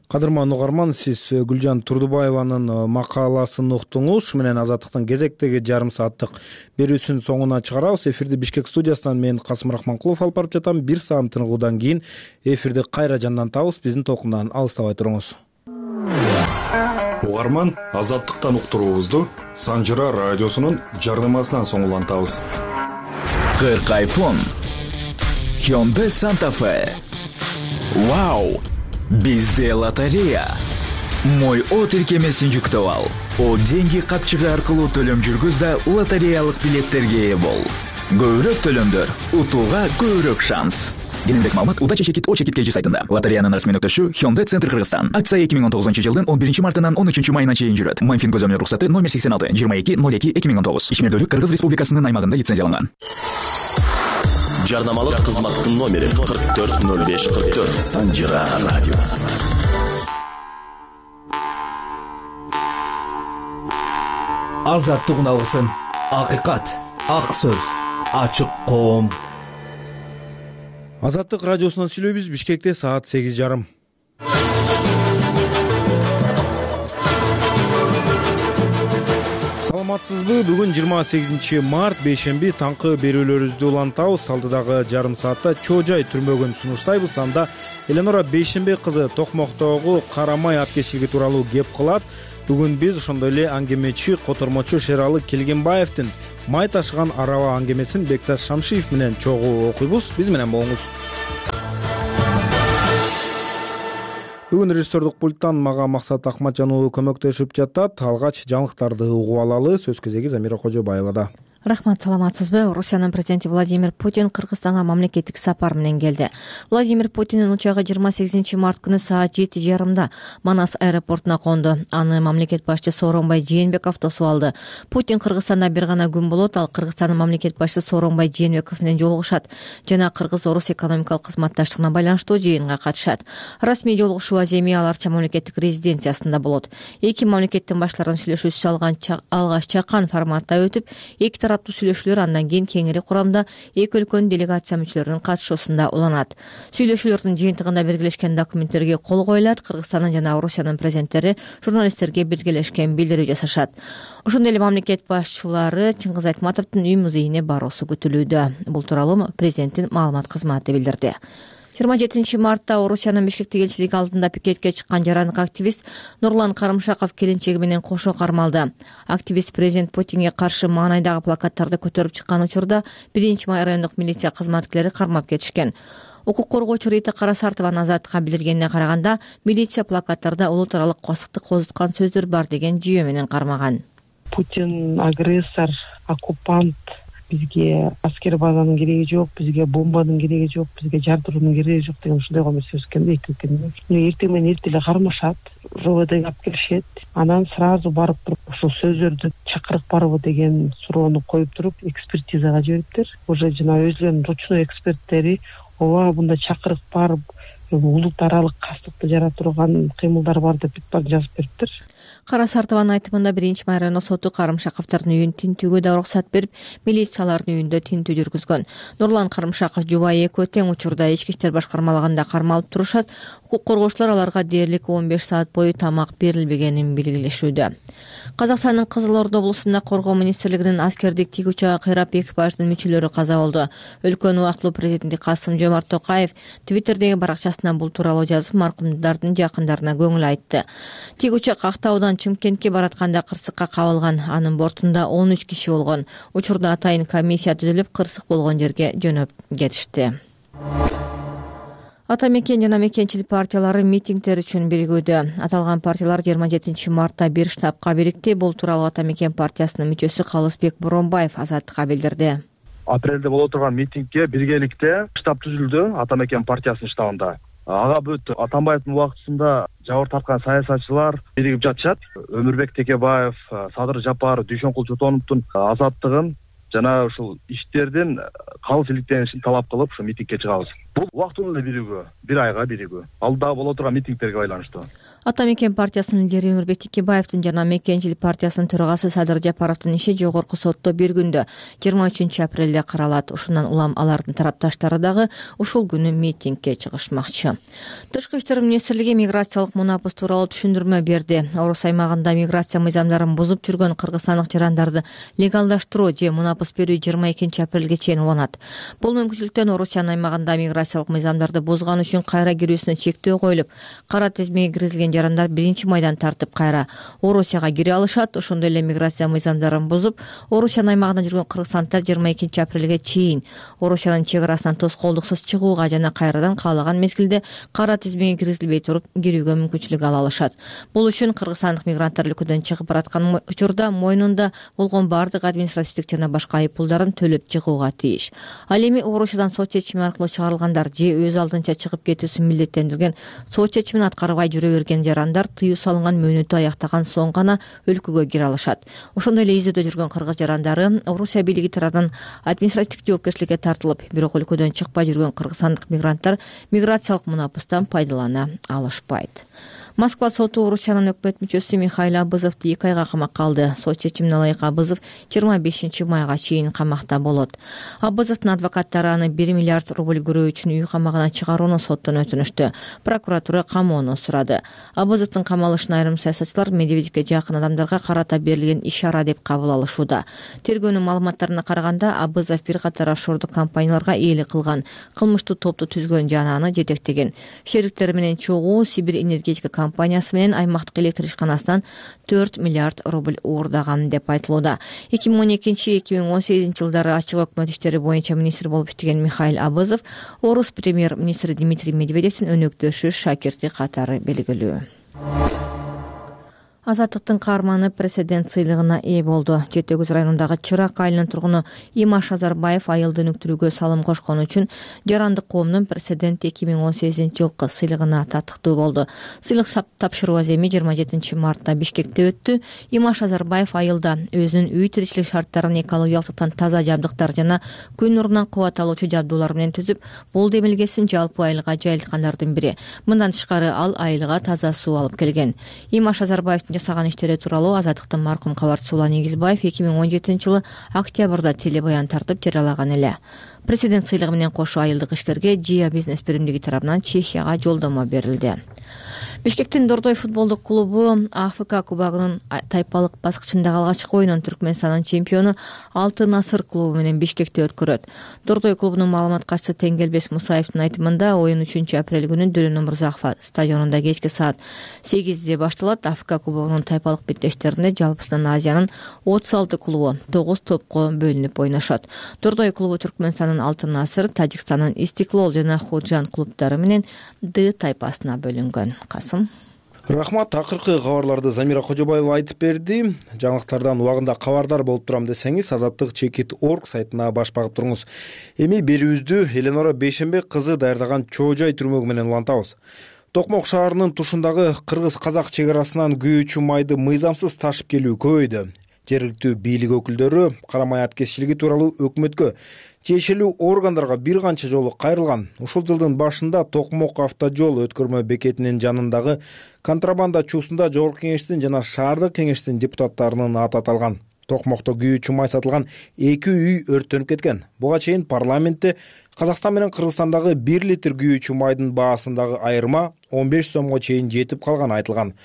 Кадырман угарман, сиз Гүлжан Турдубаеванын макаласын уктуңуз. Ушу менен Азаттыктын кезектеги жарым сааттык берүүсүнүн соңуна чыгарабыз. Эфирди Бишкек студиясынан мен Касым Рахманкулов алып барып жатам. 1 саат тыныгуудан кийин эфирди кайра жандантабыз. Биздин толкундан алыстабай туруңуз. Угарман, Азаттыктан уктуруубузду Санжыра радиосунун жардамасынан соң улантабыз. 40 iPhone, Hyundai Santa Fe. Вау! Бизде лотерея. Мой О тиркемесин жүктөп ал. О деньги капчыгы аркылуу төлөм жүргүз да лотереялык билеттерге ээ бол. Көбүрөөк төлөмдөр, утууга көбүрөөк шанс. кененирээк маалымат Удача чекит О-чекит KG сайтында. Лотереянын расмий өктөшү Hyundai Центр Кыргызстан. Акция 2019-жылдын 11 мартынан 13 майына чейин жүрөт. Мамфин көзөмөл руксаты номер 86 2202-2019. Ишмердүүлүк Кыргыз Республикасынын аймагында лицензияланган. Жарнамалык кызматтын номери 440544 Санжира радиосу. Азаттык алгысын. Акыйкат, ак сөз, ачык коом. Азаттык радиосунан сүйлөйбүз. Бишкекте саат 8:30. Саламатсызбы? Бүгүн 28 март, бейшемби, таңкы берүүлөрүбүздү улантабыз. Алдыдагы жарым саатта чоо-жай түрмөгүн сунуштайбыз. Анда Эленора Бейшембек кызы Токмоктогу Карамай аткечилиги тууралуу кеп кылат. Бүгүн биз ошондой эле аңгемечи, котормочу Шералы Келгенбаевдин май ташыган араба аңгемесин Бекташ Шамшиев менен чогуу окуйбуз. Биз менен болуңуз. Бүгүн режиссердук пульттан мага Максат Акматжан уулу көмөктөшүп жатат. Алгач жаңылыктарды угуп алалы. Сөз кезеги Замира Кожобаевада. Рахмат, саламатсызбы? Орусиянын президенти Владимир Путин Кыргызстанга мамлекеттик сапар менен келди. Владимир Путиндин учагы 28 март күнү саат 7:30 Манас аэропортуна конду. Аны мамлекет башчысы Сооронбай Жээнбеков тосуп алды. Путин Кыргызстанда бир гана күн болот. Ал Кыргызстандын мамлекет башчысы Сооронбай Жээнбеков менен жолугушат жана Кыргыз-Орус экономикалык кызматташтыгына байланыштуу жыйынга катышат. Расмий жолугушуу Аземи Аларча мамлекеттик резиденциясында болот. Эки мамлекеттин башларынын сүйлөшүүсү алгач чакан форматта өтүп, эки тараптуу сүйлөшүүлөр андан кийин кеңири курамда эки өлкөнүн делегация мүчөлөрүнүн катышуусунда уланат. Сүйлөшүүлөрдүн жыйынтыгында белгилешкен документтерге кол коюлат. Кыргызстандын жана Орусиянын президенттери журналисттерге биргелешкен билдирүү жасашат. Ошондой эле мамлекет башчылары Чыңгыз Айтматовдун үй-музейине баруусу күтүлүүдө. Бул тууралуу президенттин маалымат кызматы билдирди. 27 мартта Орусиянын Бишкектеги элчилиги алдында пикетке чыккан жарандык активист Нурлан Карымшаков келинчеги менен кошо кармалды. Активист президент Путинге каршы маанайдагы плакаттарды көтөрүп чыккан учурда 1 райондук милиция кызматкерлери кармап кетишкен. Укук коргоочу Рита Карасартованын Азаттыкка билдиргенине караганда, милиция плакаттарда улут аралык косукту козуткан сөздөр бар деген жүйө менен кармаган. Путин агрессор, оккупант. Бизге аскер базанын кереги жок, бизге бомбанын кереги жок, бизге жардыруунун кереги жок деген ушундай гомер сөз экен да, эртең менен эртең эле кармашат, РОВДга алып келишет. Анан сразу барып туруп ушул сөздөрдү чакырып барбы деген суроону коюп туруп экспертизага жибериптир. Уже жана өзүнүн ручной эксперттери ооба мында чакырып барып улут аралык кастыкты жарата турган кыймылдар бар деп жазып бериптир. Карасартованын айтымында 1 май райондук соту Карымшаковдун үйүн тинтүүгө да уруксат берип, милициялардын үйүндө тинтүү жүргүзгөн. Нурлан Карымшаков жубайы экөө тең учурда ички иштер башкармалыгында кармалып турушат. Укук коргоочулар аларга дээрлик 15 саат бою тамак берилбегенин белгилешүүдө. Казакстандын Кызыл Ордо облусунда Коргоо министрлигинин аскердик тик учагы кыйрап экипаждын мүчөлөрү каза болду. Өлкөнүн убактылуу президенти Касым-Жомарт Токаев Твиттердеги баракчасына бул тууралуу жазып, маркумдардын жакындарына көңүл айтты. Тик учак Актаудан Чымкентке баратканда кырсыкка кабылган. Анын бортунда 13 киши болгон. Учурда атайын комиссия түзүлүп, кырсык болгон жерге жөнөп кетишти. Ата мекен жана мекенчилик партиялары митингдер үчүн биригүүдө. Аталган партиялар 27 мартта бир штабка бирикти. Бул тууралуу Ата мекен партиясынын мүчөсү Калысбек Боронбаев Азаттыкка билдирди. Апрелде боло турган митингге биргеликте штаб түзүлдү Ата мекен партиясынын штабында. Ага бүт Атамбаевдин убактысында жабыр тарткан саясатчылар биригип жатышат. Өмүрбек Текебаев, Садыр Жапар, Дүйшөнкул Чотоновдун азаттыгын жана ушул иштердин калыс иликтенишин талап кылып ушу митингге чыгабыз. Бул убактылуу эле биригүү, бир айга биригүү. Алдыда боло турган митингтерге байланыштуу. Ата мекен партиясынын лидери Өмүрбек Текебаевдин жана мекенчилик партиясынын төрагасы Садыр Жапаровдун иши жогорку сотто бир күндө 23 апрелде каралат. Ушундан улам алардын тарапташтары дагы ушул күнү митингге чыгышмакчы. Тышкы иштер министрлиги миграциялык мунапыс тууралуу түшүндүрмө берди. Орус аймагында миграция мыйзамдарын бузуп жүргөн кыргызстандык жарандарды легалдаштыруу же мунапыс берүү 22 апрелге чейин уланат. Бул мүмкүнчүлүктөн Орусиянын аймагында миграциялык мыйзамдарды бузган үчүн кайра кирүүсүнө чектөө коюлуп, кара тизмеге киргизилген жарандар 1 майдан тартып кайра Орусияга кире алышат. Ошондой эле миграция мыйзамдарын бузуп, Орусиянын аймагында жүргөн кыргызстандыктар 22 апрелге чейин Орусиянын чек арасынан тоскоолдуксуз чыгууга жана кайрадан каалаган мезгилде кара тизмеге киргизилбей туруп кирүүгө мүмкүнчүлүк ала алышат. Бул үчүн кыргызстандык мигранттар өлкөдөн чыгып бараткан учурда мойнунда болгон бардык административдик жана башка айыппулдарын төлөп чыгууга тийиш. Ал эми Орусиядан сот чечими аркылуу чыгарылган жарандар же өз алдынча чыгып кетүүсүн милдеттендирген сот чечимин аткарбай жүрө берген жарандар тыюу салынган мөөнөтү аяктаган соң гана өлкөгө кире алышат. Ошондой эле издөөдө жүргөн кыргыз жарандары Орусия бийлиги тарабынан административдик жоопкерчиликке тартылып, бирок өлкөдөн чыкпай жүргөн кыргызстандык мигранттар миграциялык мунапыстан пайдалана алышпайт. Москва соту Орусиянын өкмөт мүчөсү Михаил Абызовду 2 айга камакка алды. Сот чечимине ылайык Абызов 25 майга чейин камакта болот. Абызовдун адвокаттары аны 1 миллиард рубль көрөө үчүн үй камагына чыгарууну соттон өтүнүштү. Прокуратура камоону сурады. Абызовдун камалышын айрым саясатчылар Медведевке жакын адамдарга карата берилген ишара деп кабыл алышууда. Тергөөнүн маалыматтарына караганда Абызов бир катар офшордук компанияларга ээлик кылган, кылмыштуу топту түзгөн жана аны жетектеген. Шериктери менен чогуу Сибирь энергетика компаниясы менен аймактык электр ишканасынан 4 миллиард рубль уурдаган деп айтылууда. 2012-2018 жылдары ачык өкмөт иштери боюнча министр болуп иштеген Михаил Абызов орус премьер-министри Дмитрий Медведевдин өнөктөшү шакирти катары белгилүү. Азаттыктын каарманы президент сыйлыгына ээ болду. Жети Өгүз районундагы Чырак айылынын тургуну Имаш Азарбаев айылды өнүктүрүүгө салым кошкону үчүн жарандык коомдун президент 2018 жылкы сыйлыгына татыктуу болду. Сыйлык тапшыруу аземи 27 мартта Бишкекте өттү. Имаш Азарбаев айылда өзүнүн үй тиричилик шарттарын экологиялыктан таза жабдыктар жана күн нурунан кубат алуучу жабдуулар менен түзүп, бул демилгесин жалпы айылга жайылткандардын бири. Мындан тышкары ал айылга таза суу алып келген. Имаш Азарбаевдин жасаган иштери тууралуу Азаттыктын маркум кабарчысы Улан Негизбаев 2017 жылы октябрда телебаян тартып жарыялаган эле. Президент сыйлыгы менен кошо айылдык ишкерге Жия бизнес биримдиги тарабынан Чехияга жолдомо берилди. Бишкектин Дордой футболдук клубу АФК кубогунун тайпалык баскычындагы алгачкы оюнун Түркмөнстандын чемпиону Алтын Асыр клубу менен Бишкекте өткөрөт. Дордой клубунун маалымат катчысы Теңгелбес Мусаевдин айтымында оюн 3 апрель күнү Дөлөн Өмүрзаков стадионунда кечки саат 8-де башталат. АФК кубогунун тайпалык беттештеринде жалпысынан Азиянын 36 клубу 9 топко бөлүнүп ойношот. Дордой клубу Түркмөнстандын Алтын Асыр, Тажикстандын Истиклол жана Худжан клубдары менен Д тайпасына бөлүнгөн. Рахмат, акыркы кабарларды Замира Кожобаева айтып берди. Жаңылыктардан убагында кабардар болуп турам десеңиз, Азаттык.org сайтына баш багып туруңуз. Эми берүүбүздү Эленора Бейшенбек кызы даярдаган Чоо Жай түрмөгү менен улантабыз. Токмок шаарынын тушундагы кыргыз-казак чек арасынан күйүүчү майды мыйзамсыз ташып келүү көбөйдү. Жергиликтүү бийлик өкүлдөрү карамай аткезчилиги тууралуу өкмөткө тиешелүү органдарга бир канча жолу кайрылган. Ушул жылдын башында Токмок автожол өткөрмө бекетинин жанындагы контрабанда чуусунда Жогорку кеңештин жана шаардык кеңештин депутаттарынын аты аталган. Токмокто күйүүчү май сатылган 2 үй өрттөнүп кеткен. Буга чейин парламентте Казакстан менен Кыргызстандагы 1 литр күйүүчү майдын баасындагы айырма 15 сомго чейин жетип калганы айтылган.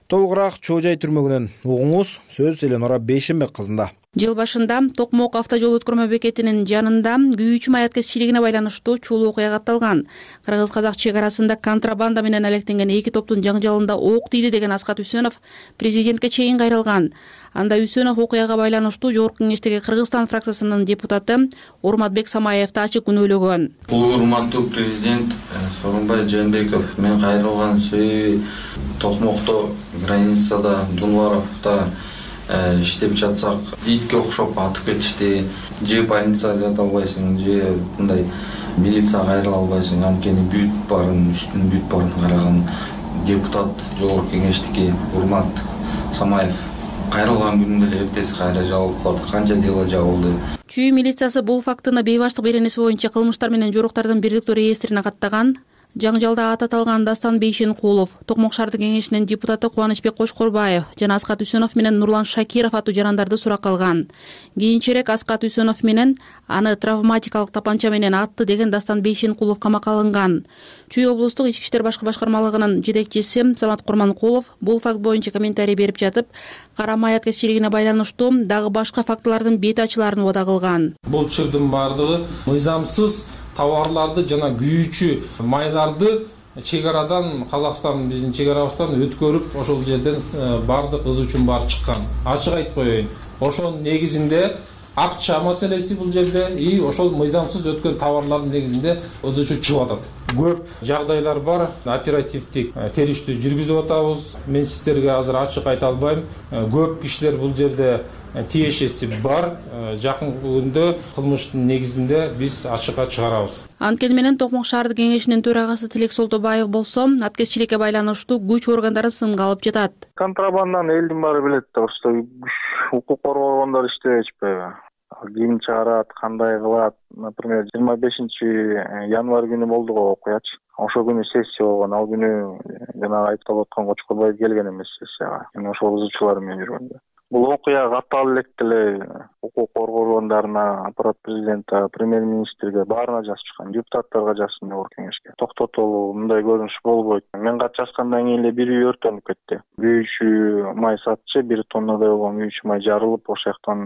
Толугураак Чоо Жай түрмөгүнөн угуңуз. Сөз Эленора Бейшенбек кызында. Жыл башында Токмок автожол өткөрмө бекетинин жанында күйүүчү май аткезчилигине байланыштуу чулуу окуя катталган. Кыргыз-казак чек арасында контрабанда менен алектенген 2 топтун жаңжалында ок тийди деген Аскат Үсөнов президентке чейин кайрылган. Анда Үсөнов окуяга байланыштуу Жогорку кеңештеги Кыргызстан фракциясынын депутаты Урматбек Самаевди ачык күнөөлөгөн. Урматтуу президент Сооронбай Жээнбеков, мен кайрылган себеби Токмокто границада Дунваровдо иштеп жатсак итке окшоп атып кетишти. Же больницага жата албайсың, же мындай милицияга кайрыла албайсың. Анткени бүт барын, үстүн бүт барын караган депутат Жогорку кеңештики Урмат Самаев кайрылган күнүндө эле эртеси кайра жабылып калды. Канча дело жабылды. Чүй милициясы бул фактыны бейбаштык беренеси боюнча кылмыштар менен жоруктардын бирдиктүү реестрине каттаган. Жаңжалда ат аталган Дастан Бейшенкулов, Токмок шаардык кеңешинин депутаты Кубанычбек Кошкорбаев жана Аскат Үсөнов менен Нурлан Шакиров аттуу жарандарды суракка алган. Кийинчерээк Аскат Үсөнов менен аны травматикалык тапанча менен атты деген Дастан Бейшенкулов камакка алынган. Чүй облустук ички иштер башкы башкармалыгынын жетекчиси Самат Курманкулов бул факт боюнча комментарий берип жатып, карамай аткезчилигине байланыштуу дагы башка фактылардын бет ачыларын убада кылган. Бул чырдын бардыгы мыйзамсыз товарларды жана күйүүчү майларды чек арадан, Казакстан биздин чек арабыздан өткөрүп, ошол жерден бардык ыз үчүн бар чыккан. Ачык айтып коеюн. Ошонун негизинде акча маселеси бул жерде и ошол мыйзамсыз өткөн товарлардын негизинде ыз үчүн чыгып атат. Көп жагдайлар бар. Оперативдик териштүү жүргүзүп атабыз. Мен сиздерге азыр ачык айта албайм. Көп кишилер бул жерде тиешеси бар. Жакын күндө кылмыштын негизинде биз ачыкка чыгарабыз. Анткени менен Токмок шаардык кеңешинин төрагасы Тилек Солтобаев болсо, аткезчиликке байланыштуу күч органдары сынга алып жатат. Контрабанданы элдин баары билет да, укук коргоо органдары иштебей атышпайбы? Ким чыгарат, кандай кылат? Например, 25-январь күнү болду го окуячы. Ошол күнү сессия болгон. Ал күнү жана айыпталып аткан Кочкорбаев келген эмес сессияга. Ошол кызычуулар менен жүргөндө. Бул окуя катаал эле укук коргоо органдарына, аппарат президентке, премьер-министрге баарына жазып чыккан, депутаттарга жазсын деп кеңешке. Токтотолу, мындай көрүнүш болбойт. Мен кат жазгандан кийин эле бир үй өртөнүп кетти. Күйүүчү май сатчы 1 тоннадай болгон күйүүчү май жарылып, ошол жактан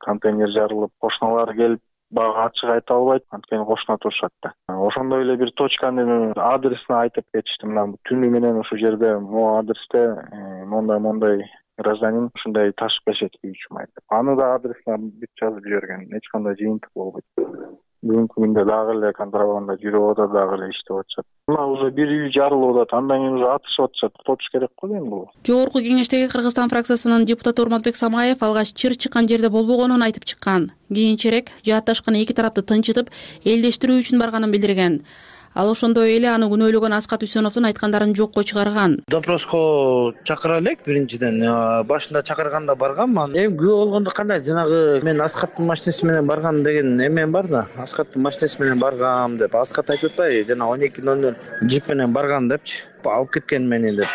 контейнер жарылып, кошуналар келип бага ачык айта албайт, анткени кошуна турушат да. Ошондой эле бир точканын адресин айтып кетишти. Мына түнү менен ошол жерде могу адресте мондай гражданин ушундай ташып келишет күйүүчү май деп. Аны да адресине бүт жазып жиберген. Эч кандай жыйынтык болбойт. Бүгүнкү күндө дагы эле контрабанда жүрүп атат, дагы эле иштеп атышат. Мына уже бир үй жарылып атат, андан кийин уже атышып атышат. Тотуш керек го эми бул. Жогорку кеңештеги Кыргызстан фракциясынын депутаты Урматбек Самаев алгач чыр чыккан жерде болбогонун айтып чыккан. Кийинчерээк жаатташкан эки тарапты тынчытып, элдештирүү үчүн барганын билдирген. Ал ошондой эле аны күнөөлөгөн Аскат Үсөновдун айткандарын жокко чыгарган. Допроско чакыра элек биринчиден. Башында чакырганда барганмын. Эми күбө болгондо кандай жанагы мен Аскаттын машинеси менен барган деген эмен бар да. Аскаттын машинеси менен баргам деп. Аскат айтып атпайбы, жана 12:00 джип менен барган депчи. Алып кеткен мени деп.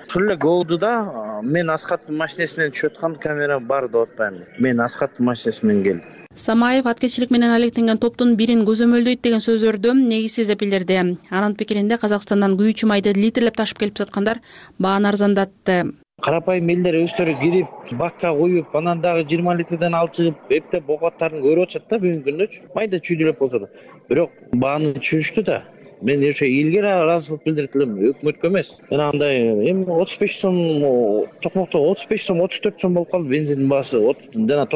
Ушул эле гоуду да мен Аскаттын машинесинен түшүп аткан камера бар деп атпаймын. Мен Аскаттын машинеси менен келдим. Самаев аткезчилик менен алектенген топтун бирин көзөмөлдөйт деген сөздөрдү негизсиз деп билдирди. Анын пикиринде Казакстандан күйүүчү майды литрлеп ташып келип саткандар бааны арзандатты. Карапайым элдер өздөрү кирип, бакка куюп, анан дагы 20 литрден алып чыгып, эптеп оокаттарын көрүп атышат да бүгүнкү күндө. Майда чүйдүлөп болсо да. Бирок бааны түшүштү да. Мен ошо элге ыраазычылык билдирет элем, өкмөткө эмес. Жана андай эми 35 сом, Токмокто 35 сом, 34 сом болуп калды бензиндин баасы. Жана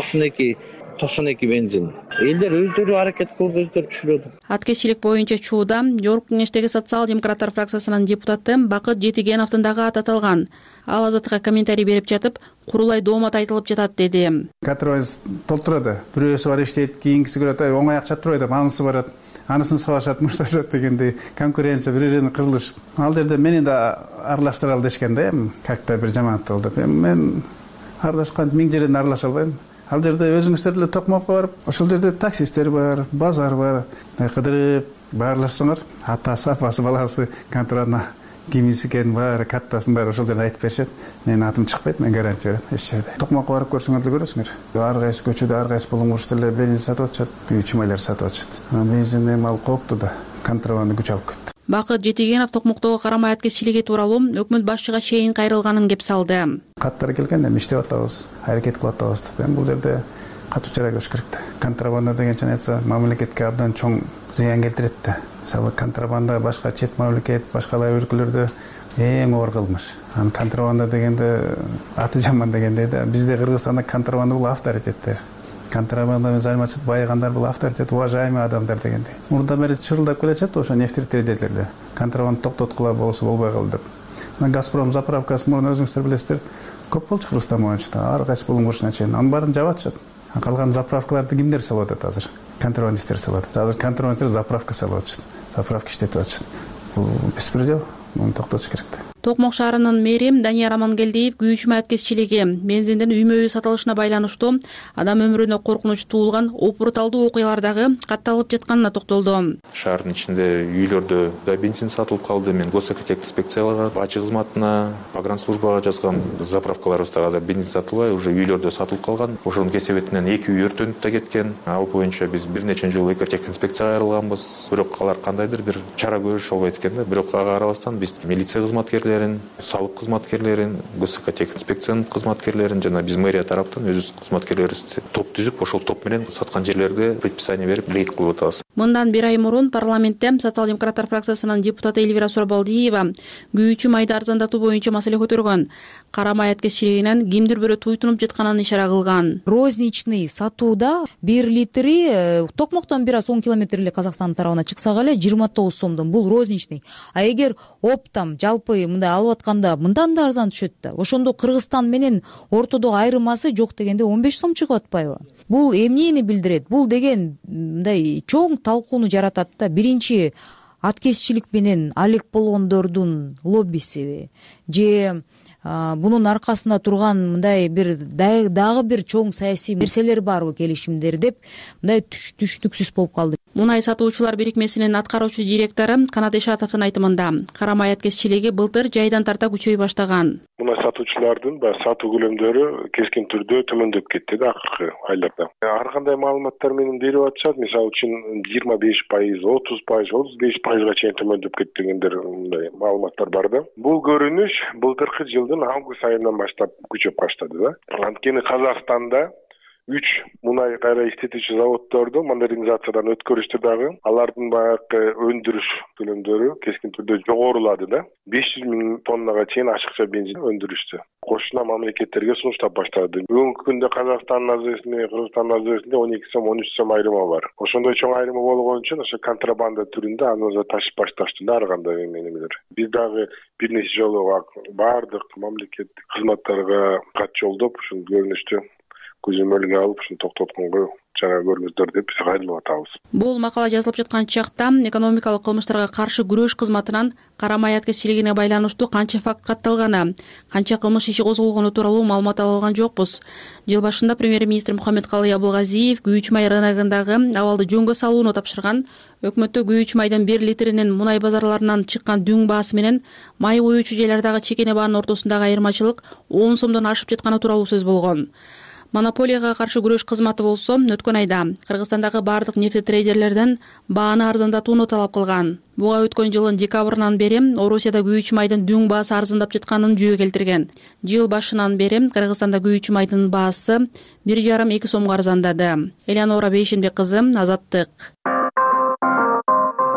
92 бензин. Элдер өздөрү аракет кылып, өздөрү түшүрөт. Аткезчилик боюнча чууда Жогорку кеңештеги социал-демократтар фракциясынын депутаты Бакыт Жетигеновдун дагы аты аталган. Ал Азаттыкка комментарий берип жатып, курулай доомат айтылып жатат деди. Кадровоз толтурат. Бирөөсү бар иштейт, кийинкиси көрөт, оңой акча турбайт деп, анысы барат. Анысын сабашат, мушташат дегендей конкуренция, бири-бирин кырылыш. Ал жерде мени да аралаштыралы дешкен да, как-то бир жамааттыл деп. Мен аралашкан 1000 жерден аралаша албайм. Ал жерде өзүңүздөр деле Токмокко барып, ошол жерде таксисттер бар, базар бар. Кыдырып баарлашсаңар, атасы, апасы, баласы контрабанда кимиси экенин баары, каттасын баары ошол жерде айтып беришет. Менин атым чыкпайт, мен гарантия берем, эч жерде. Токмокко барып көрсөңөр деле көрөсүңөр. Ар кайсы көчөдө, ар кайсы булуңуш деле бензин сатып атышат, күйүүчү майлар сатып атышат. Бензин эми ал кооптуу да, контрабанда күч алып кетти. Бакыт Жетигенов Токмоктогу карамай аткезчилиги тууралуу өкмөт башчыга чейин кайрылганын кеп салды. Каттар келген, эми иштеп атабыз, аракет кылып атабыз деп. Эми бул жерде катуу чара көрүш керек да. Контрабанда деген чын мамлекетке абдан чоң зыян келтирет да. Мисалы контрабанда башка чет мамлекет, башкалар өлкөлөрдө эң оор кылмыш. Анан контрабанда дегенде аты жаман дегендей да. Бизде Кыргызстанда контрабанда бул авторитеттер. Контрабанда менен заниматься байыгандар бул авторитет, уважаемый адамдар дегендей. Мурда бери чырылдап келечет ошо нефть-трейдерлерде. Контрабанда токтоткула болсо болбой калды деп. Газпром заправкасы мурун өзүңүздөр билесиздер, көп болчу Кыргызстан боюнча, ар кайсы булуңушуна чейин. Анын баарын жаап атышат. Калган заправкаларды кимдер салып атат азыр? Контрабандисттер салып атат. Азыр контрабандисттер заправка салып атышат. Заправка иштетип атышат. Бул беспредел, муну токтотуш керек да. Токмок шаарынын мэри Данияр Амангелдиев күйүүчү май аткезчилиги бензиндин үймө-үй сатылышына байланыштуу адам өмүрүнө коркунуч туулган опурталдуу окуялар дагы катталып жатканына токтолду. Шаардын ичинде үйлөрдө да бензин сатылып калды. Мен госэкотехинспекцияларга, бачы кызматына, погранслужбага жазган заправкаларыбызда азыр бензин сатылбай, уже үйлөрдө сатылып калган. Ошонун кесебетинен 2 үй өртөнүп да кеткен. Ал боюнча биз бир нече жыл экотехинспекцияга айрылганбыз. Бирок алар кандайдыр бир чара көрүшө албайт экен да. Бирок ага карабастан биз милиция кызматкерлерин, салык кызматкерлерин, госэкотехинспекциянын кызматкерлерин жана биз мэрия тараптан өзүбүз кызматкерлерибиз топ түзүп, ошол топ менен саткан жерлерге предписание берип рейд кылып атабыз. Мындан 1 ай мурун парламентте социал-демократтар фракциясынын депутаты Эльвира Сурабалдиева күйүүчү майды арзандатуу боюнча маселе көтөргөн. Кара май аткезчилигинен кимдир бирөө туйтунуп жатканын ишара кылган. Розничный сатууда 1 литри Токмоктон бир аз 10 километр эле Казакстандын тарабына чыксак эле 29 сомдон. Бул розничный. А эгер оптом жалпы мындай мындай алып атканда мындан да арзан түшөт да. Ошондо Кыргызстан менен ортодогу айырмасы жок дегенде 15 сом чыгып атпайбы? Бул эмнени билдирет? Бул деген мындай чоң талкууну жаратат да. Биринчи аткезчилик менен алек болгондордун лоббисиби же бунун аркасында турган мындай бир дагы бир чоң саясий нерселер барбы, келишимдер деп мындай түшүнүксүз болуп калды. Мунай сатуучулар бирикмесинин аткаруучу директору Канат Ишатовдун айтымында карамай аткезчилиги былтыр жайдан тарта күчөй баштаган. Мунай сатуучулардын сатуу көлөмдөрү кескин түрдө төмөндөп кетти да акыркы айларда. Ар кандай маалыматтар менен берип атышат. Мисалы үчүн 25%, 30%, 35%га чейин төмөндөп кетти дегендер мындай маалыматтар бар да. Бул көрүнүш былтыркы жылдын август айынан баштап күчөп баштады да. Анткени Казакстанда 3 мунай кайра иштетүүчү заводдорду модернизациядан өткөрүштү дагы. Алардын баягы өндүрүш көлөмдөрү кескин түрдө жогорулады да. 500 000 тоннага чейин ашыкча бензин өндүрүштү. Кошуна мамлекеттерге сунуштап баштады. Бүгүнкү күндө Казакстандын азырысында, Кыргызстандын азырысында 12 сом, 13 сом айрымы бар. Ошондой чоң айрымы болгон үчүн ошо контрабанда түрүндө аны ташып башташты да ар кандай эмелер. Биз дагы бир нече жолу бардык мамлекеттик кызматтарга кат жолдоп ушул көрүнүштү көзөмөлгө алып ушуну токтотконго чара көрүңүздөр деп биз кайрылып атабыз. Бул макала жазылып жаткан чакта экономикалык кылмыштарга каршы күрөш кызматынан карамай аткезчилигине байланыштуу канча факт катталганы, канча кылмыш иши козголгону тууралуу маалымат ала алган жокпуз. Жыл башында премьер-министр Мухаммедкалый Абылгазиев күйүүчү май рыногундагы абалды жөнгө салууну тапшырган. Өкмөттө күйүүчү майдын 1 литринин мунай базарларынан чыккан дүң баасы менен май коюучу жайлардагы чекене баанын ортосундагы айырмачылык 10 сомдон ашып жатканы тууралуу сөз болгон. Монополияга каршы күрөш кызматы болсо өткөн айда Кыргызстандагы бардык нефтетрейдерлерден бааны арзандатууну талап кылган. Буга өткөн жылдын декабрынан бери Орусияда күйүүчү майдын дүң баасы арзандап жатканын жүйө келтирген. Жыл башынан бери Кыргызстанда күйүүчү майдын баасы 1,5-2 сомго арзандады. Элеонора Бейшенбек кызы, Азаттык.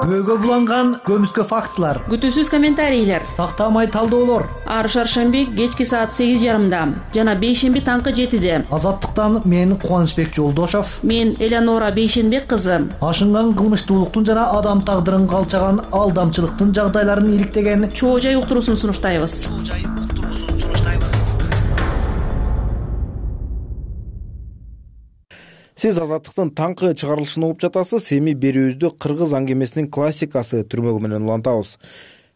Көйгө буланган көмүскө фактылар, күтүүсүз комментарийлер, тактамай талдоолор. Ар шаршемби кечки саат 8:30 жана бейшемби таңкы 7-де. Азаттыктан мен Кубанычбек Жолдошов, мен Элеонора Бейшенбек кызы. Ашынган кылмыштуулуктун жана адам тагдырын калчаган алдамчылыктын жагдайларын иликтеген чоо жай уктуруусун сунуштайбыз. Сиз Азаттыктын таңкы чыгарылышын угуп жатасыз. Эми берүүбүздү кыргыз аңгемесинин классикасы түрмөгү менен улантабыз.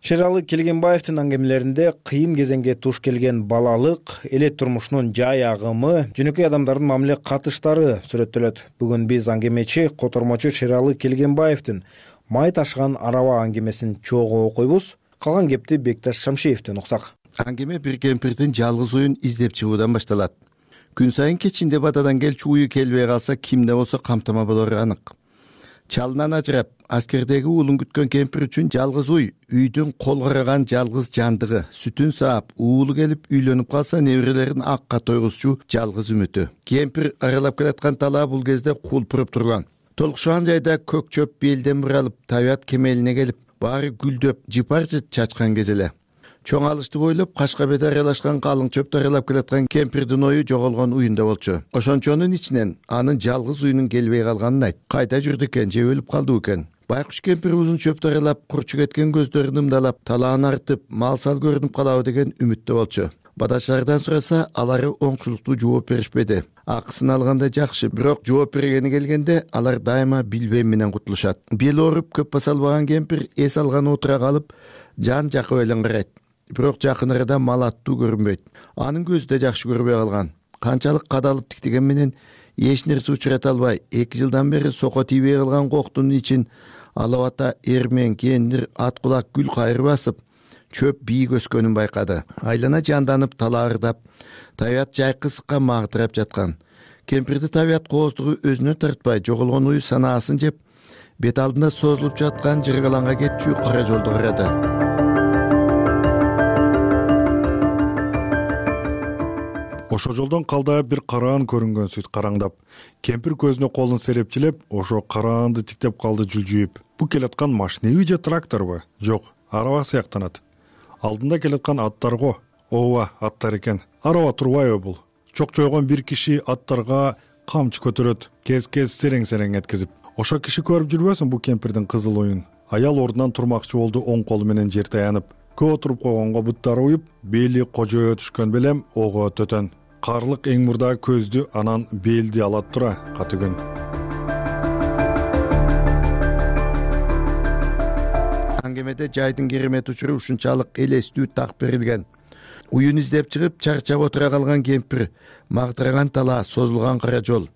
Шералы Келгенбаевдин аңгемелеринде кыйын кезеңге туш келген балалык, элет турмушунун жай агымы, жөнөкөй адамдардын мамиле катыштары сүрөттөлөт. Бүгүн биз аңгемечи, котормочу Шералы Келгенбаевдин май ташыган араба аңгемесин чогуу окуйбуз. Калган кепти Бекташ Шамшиевден уксак. Аңгеме бир кемпирдин жалгыз уюн издеп чыгуудан башталат. Күн сайын кечинде батадан келчү уyu келбей калса кимде болсо камтама болору анык. Чалынан ажырап, аскердеги уулун күткөн кемпир үчүн жалгыз уй үйдүн кол караган жалгыз жандыгы, сүтүн саап, уулу келип үйлөнүп калса неберелерин акка тойгузчу жалгыз үмүтү. Кемпир аралап келаткан талаа бул кезде кулпуруп турган. Толкушан жайда көк чөп белден буралып, табият кемелине келип, баары гүлдөп, жыпарчы чачкан кез эле. Чоң алышты бойлоп, кашка бет аралашкан калың чөптү аралап келаткан кемпирдин ою жоголгон уюнда болчу. Ошончонун ичинен анын жалгыз уюнун келбей калганын айт. Кайда жүрдү экен, же өлүп калды экен? Байкуш кемпир узун чөптү аралап, курчу кеткен көздөрүн ымдалап, талааны артып, мал-сал көрүнүп калабы деген үмүттө болчу. Бадаштардан сураса, алары оңчулуктуу жооп беришпеди. Акысын алганда жакшы, бирок жооп бергени келгенде алар дайыма билбем менен кутулушат. Бел ооруп көп баса албаган кемпир эс алган отура калып, жан жакы элен карайт. Бирок жакын арада мал аттуу көрүнбөйт. Анын көзү да жакшы көрбөй калган. Канчалык кадалып тиктеген менен эч нерсе учурата албай, 2 жылдан бери сoko тийбей калган коктун ичин алабата эрмен, кендир, ат кулак гүл кайры басып, чөп бийик өскөнүн байкады. Айлана жанданып, талаардап, табият жайкы сыкка магдырап жаткан. Кемпирди табият кооздугу өзүнө тартпай, жоголгон уyu санаасын жеп, бет алдында созулуп жаткан жыргаланга кетчү кара жолду карады. Ошо жолдон калдаа бир караан көрүнгөн сүт караңдап. Кемпир көзүнө колун серепчилеп, ошо караанды тиктеп калды жүлжүйүп. Бу келаткан машинеби же тракторбу? Жок, араба сыяктанат. Алдында келаткан аттар го. Ооба, аттар экен. Араба турбайбы бул? Чок-чойгон бир киши аттарга камчы көтөрөт, кез-кез серең-серең эткизип. Ошо киши көрүп жүрбөсүн бу кемпирдин кызыл уюн. Аял ордунан турмакчы болду, оң колу менен жер таянып. көп отуруп койгонго буттары уюп, бели кожоё түшкөн белем ого төтөн. Карлык эң мурда көздү, анан белди алат тура каты күн. Аңгемеде жайдын керемет учуру ушунчалык элестүү так берилген. Уюн издеп чыгып, чарчап отура калган кемпир, магдыраган талаа, созулган кара жол.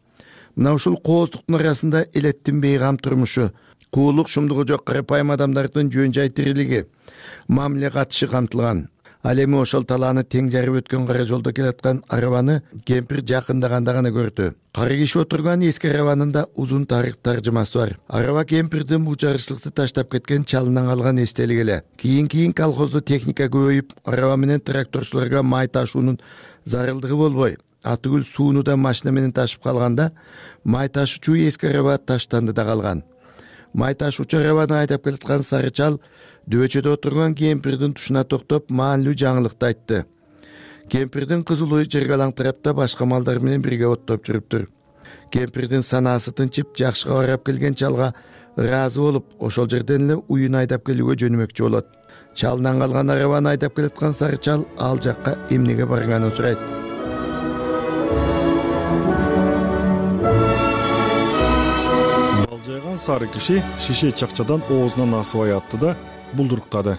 Мына ушул кооздуктун арасында элеттин бейгам турмушу, куулук шумдугу жок карапайым адамдардын жөн жай тирилиги, мамиле катышы камтылган. Ал эми ошол талааны тең жарып өткөн кара жолдо келаткан арабаны кемпир жакындаганда гана көрдү. Кары киши отурган эски арабанында узун тарых таржымасы бар. Араба кемпирдин бул жарышлыкты таштап кеткен чалынан калган эстелик эле. Кийин колхоздо техника көбөйүп, араба менен тракторчуларга май ташуунун зарылдыгы болбой, атыгүл сууну да машина менен ташып калганда, май ташуучу эски араба таштанды да калган. Май ташуучу арабаны айдап келаткан сары чал дөбөчөдө отурган кемпирдин тушуна токтоп, маанилүү жаңылыкты айтты. Кемпирдин кызыл жерге алаңтырапта башка малдар менен бирге оттоп жүрүптүр. Кемпирдин санаасы тынчып, жакшыга барап келген чалга ыраазы болуп, ошол жерден эле уюн айдап келүүгө жөнөмөкчү болот. Чалынан калган арабаны айдап келаткан сары чал ал жакка эмнеге барганын сурайт. Балжайган сары киши шише чакчадан оозунан асыбай атты да булдуруктады.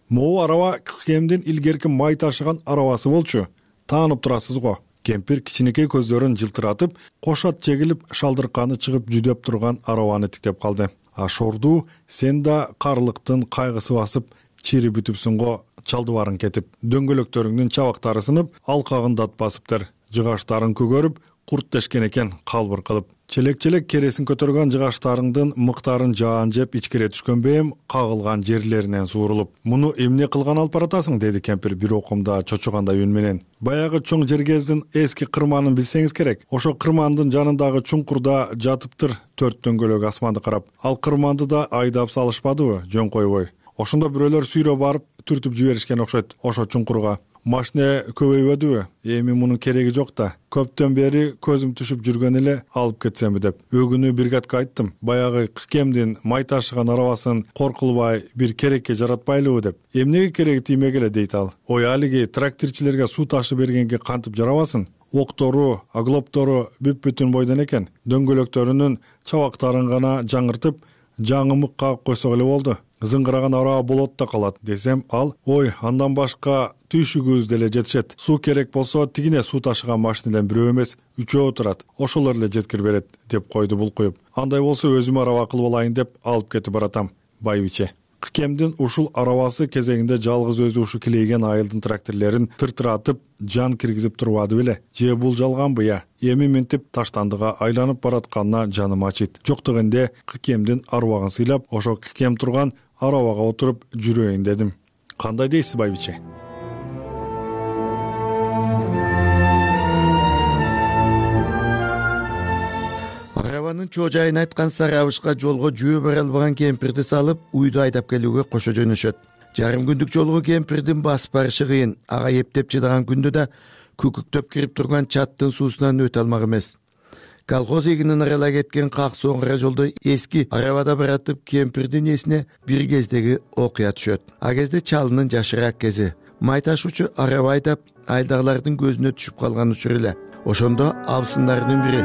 Могу араба кемдин илгерки май ташыган арабасы болчу. Таанып турасыз го. Кемпир кичинекей көздөрүн жылтыратып, кошот чегилип, шалдырканы чыгып жүдөп турган арабаны тиктеп калды. Ашорду, сен да карлыктын кайгысы басып, чири бүтүпсүң го, чалды барын кетип. Дөңгөлөктөрүңдүн чабактары сынып, алкагын дат басыптыр. Жыгаштарын көгөрүп, курт тешкен экен калбыр кылып. Челек-челек кересин көтөргөн жыгаштарыңдын мыктарын жаан жеп ичкире түшкөн бейим кагылган жерлеринен суурулуп. Муну эмне кылган алып баратасың, деди кемпир бир окумда чочугандай үн менен. Баягы чоң жергездин эски кырманын билсеңиз керек. Ошо кырмандын жанындагы чуңкурда жатыптыр 4 дөңгөлөк асманды карап. Ал кырманды да айдап салышпадыбы, жөн койбой. Ошондо бирөөлөр сүйрөп барып түртүп жиберишкен окшойт ошо чуңкурга. Машина көбөйбөдүбү? Эми мунун кереги жок да. Көптөн бери көзүм түшүп жүргөн эле алып кетсемби деп. Өгүнү бригадка айттым. Баягы кемдин май ташыган арабасын коркулбай бир керекке жаратпайлыбы деп. Эмнеге кереги тиймек эле дейт ал. Ой, алиги тракторчилерге суу ташып бергенге кантип жарабасын? Октору, аглоптору бүп-бүтүн бойдон экен. Дөңгөлөктөрүнүн чабактарын гана жаңыртып, жаңымык кагып койсок эле болду. Зыңгыраган араба болот да калат десем, ал ой, андан башка түйшүгүбүз деле жетишет. Суу керек болсо тигине суу ташыган машинеден бирөө эмес, 3 турат. Ошолор эле жеткирип берет деп койду булкуюп. Андай болсо өзүм араба кылып алайын деп алып кетип баратам. Байбиче. Кемдин ушул арабасы кезегинде жалгыз өзү ушу килейген айылдын тракторлорун тыртыратып, жан киргизип турбады беле? Же бул жалганбы я? Эми минтип таштандыга айланып баратканына жаным ачыйт. Жок дегенде кемдин арбагын сыйлап, ошо кем турган арабага отуруп жүрөйүн дедим. Кандай дейсиз, байбиче? Арабанын чоожайын айткан сары абышка жолго жөө бара албаган кемпирди салып, уйду айдап келүүгө кошо жөнөшөт. Жарым күндүк жолго кемпирдин басып барышы кыйын. Ага эптеп жыдаган күндө да күкүктөп кирип турган чаттын суусунан өтө алмак эмес. Колхоз эгинин аралай кеткен как соңгара жолдо эски арабада баратып кемпирдин эсине бир кездеги окуя түшөт. А кезде чалынын жашыраак кези. Май ташуучу араба айдап, айдагылардын көзүнө түшүп калган учур эле. Ошондо абысындардын бири: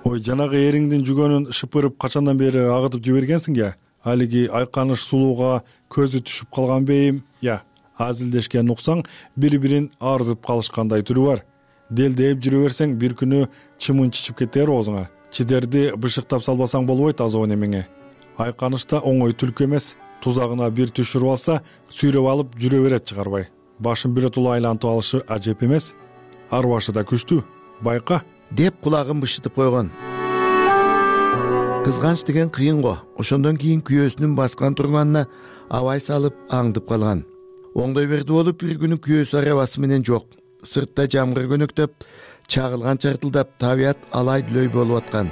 ой, жанагы эриңдин жүгөнүн шыпырып качандан бери агытып жибергенсиң я? Алиги айканыш сулууга көзү түшүп калган бейим я? Азилдешкен уксаң, бири-бирин арзып калышкандай түрү бар. Делдейип жүрө берсең, бир күнү чымын чичип кетер оозуңа. Чидерди бышыктап салбасаң болбойт азабы немеңе. Айканышта оңой түлкү эмес. Тузагына бир түшүрүп алса, сүйрөп алып жүрө берет чыгарбай. Башын биротула айлантып алышы ажеп эмес? Арбашы да күчтүү. Байка, деп кулагын бышытып койгон. Кызганыч деген кыйын го. Ошондон кийин күйөөсүнүн баскан турганына абай салып аңдып калган. Оңдой берди болуп, бир күнү күйөөсү арабасы менен жок. Сыртта жамгыр көнөктөп, чагылган чартылдап, табият алай-дүлөй болуп аткан.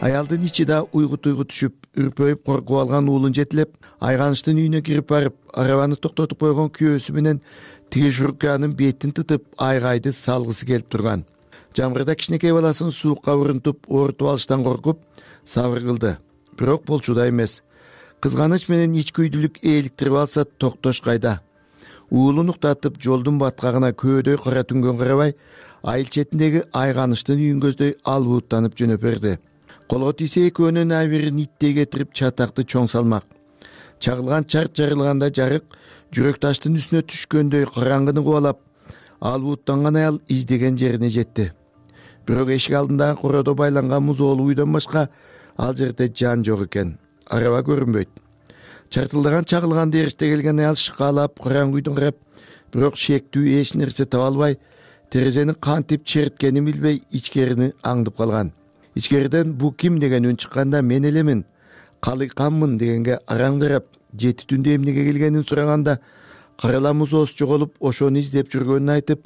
Аялдын ичи да уйгу-туйгу түшүп, үрпөйүп коркуп алган уулун жетилеп, айганыштын үйүнө кирип барып, арабаны токтотуп койгон күйөөсү менен тиги журканын бетин тытып, айгайды салгысы келип турган. Жамгырда кичинекей баласын суукка урунтуп, оорутуп алыштан коркуп, сабыр кылды. Бирок болчу да эмес. Кызганыч менен ичкүйдүүлүк ээликтирип алса токтош кайда? Уулун уктатып жолдун баткагына көөдөй кара түнгөн карабай, айыл четиндеги айганыштын үйүн көздөй албууттанып жөнөп берди. Колго тийсе экөөнүн абирин иттей кетирип чатакты чоң салмак. Чагылган чарт жарылганда жарык жүрөк таштын үстүнө түшкөндөй караңгыны кубалап, албууттанган аял издеген жерине жетти. Бирок эшик алдындагы кородо байланган музоолуу үйдөн башка ал жерде жан жок экен. Араба көрүнбөйт. Чартылдаган чагылган дээриште келген аял шыкаалап караңгы үйдөн карап, бирок шектүү эч нерсе таба албай, терезени кантип черткенин билбей ичкерини аңдып калган. Ичкериден бу ким деген үн чыкканда мен элемин, калыйканмын дегенге араң карап, жети түндө эмнеге келгенин сураганда, карала музоосу жоголуп, ошону издеп жүргөнүн айтып,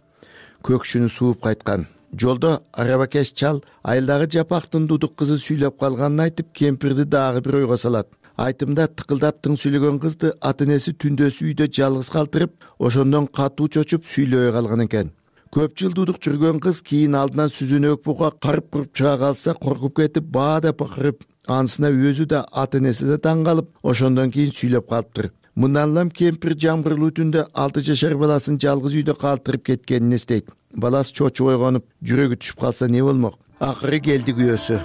көкшүнү сууп кайткан. Жолдо арабакеш чал айылдагы жапактын дудук кызы сүйлөп калганын айтып, кемпирди дагы бир ойго салат. Айтымда тыкылдап тың сүйлөгөн кызды ата-энеси түндөсү үйдө жалгыз калтырып, ошондон катуу чочуп сүйлөбөй калган экен. Көп жыл дудук жүргөн кыз кийин алдынан сүзүнөк буга карып куруп чыга калса, коркуп кетип, баада бакырып, анысына өзү да ата-энеси да таң калып, ошондон кийин сүйлөп калыптыр. Мындан улам кемпир жамгырлуу түндө 6 жашар баласын жалгыз үйдө калтырып кеткенин эстейт. Баласы чочуп ойгонуп, жүрөгү түшүп калса не болмок? Акыры келди күйөөсү.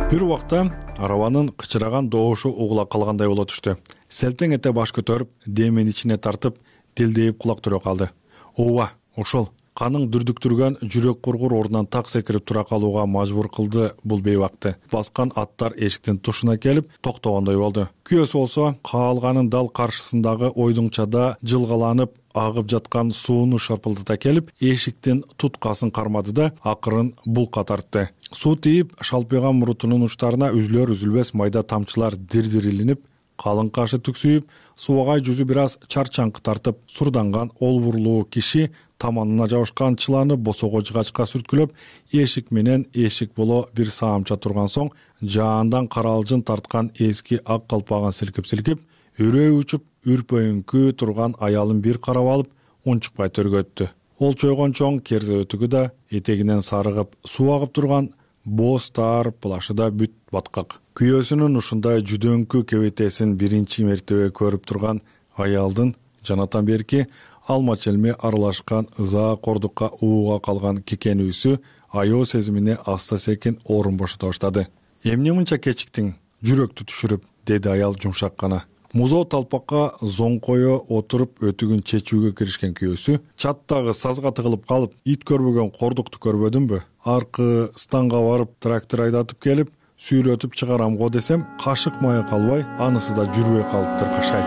Бир убакта арабанын кычыраган добушу угула калгандай боло түштү. Селтең эте баш көтөрүп, демин ичине тартып, делдейип кулак түрө калды. Ооба, ошол. Каның дүрдүктүргөн жүрөк кургур ордунан так секирип тура калууга мажбур кылды бул бейбакты. Баскан аттар эшиктин тушуна келип токтогондой болду. Күйөөсү болсо каалганын дал каршысындагы ойдуңчада жылгаланып агып жаткан сууну шарпылдата келип, эшиктин туткасын кармады да акырын булка тартты. Суу тийип, шалпыйган мурутунун учтарына үзүлөр-үзүлбес майда тамчылар дир-дир илинип, калың кашы түксүйүп, суагай жүзү бир аз чарчаңкы тартып, сурданган олбурлуу киши таманына жабышкан чыланы босого жыгачка сүрткүлөп, эшик менен эшик боло бир саамча турган соң, жаандан каралжын тарткан эски ак калпагын силкип-силкип, үрөө учуп, үрпөйүңкү турган аялын бир карап алып, унчукпай төргөттү. Ол чойгон чоң керзе өтүгү да, этегинен сарыгып, суу агып турган боз таар плашы да бүт баткак. Күйөөсүнүн ушундай жүдөңкү кебетесин биринчи мертебе көрүп турган аялдын жанатан берки алма челме аралашкан ыза кордукка ууга калган кекенүүсү аяб сезимине аста секин орун бошото баштады. Эмне мынча кечиктиң, жүрөктү түшүрүп, деди аял жумшак гана. Музоо талпакка зоңкое отуруп өтүгүн чечүүгө киришкен күйөөсү чаттагы сазга тыгылып калып, ит көрбөгөн кордукту көрбөдүмбү? Аркы станга барып трактор айдатып келип, сүйрөтүп чыгарам го десем, кашык мая калбай, анысы да жүрбөй калыптыр кашай.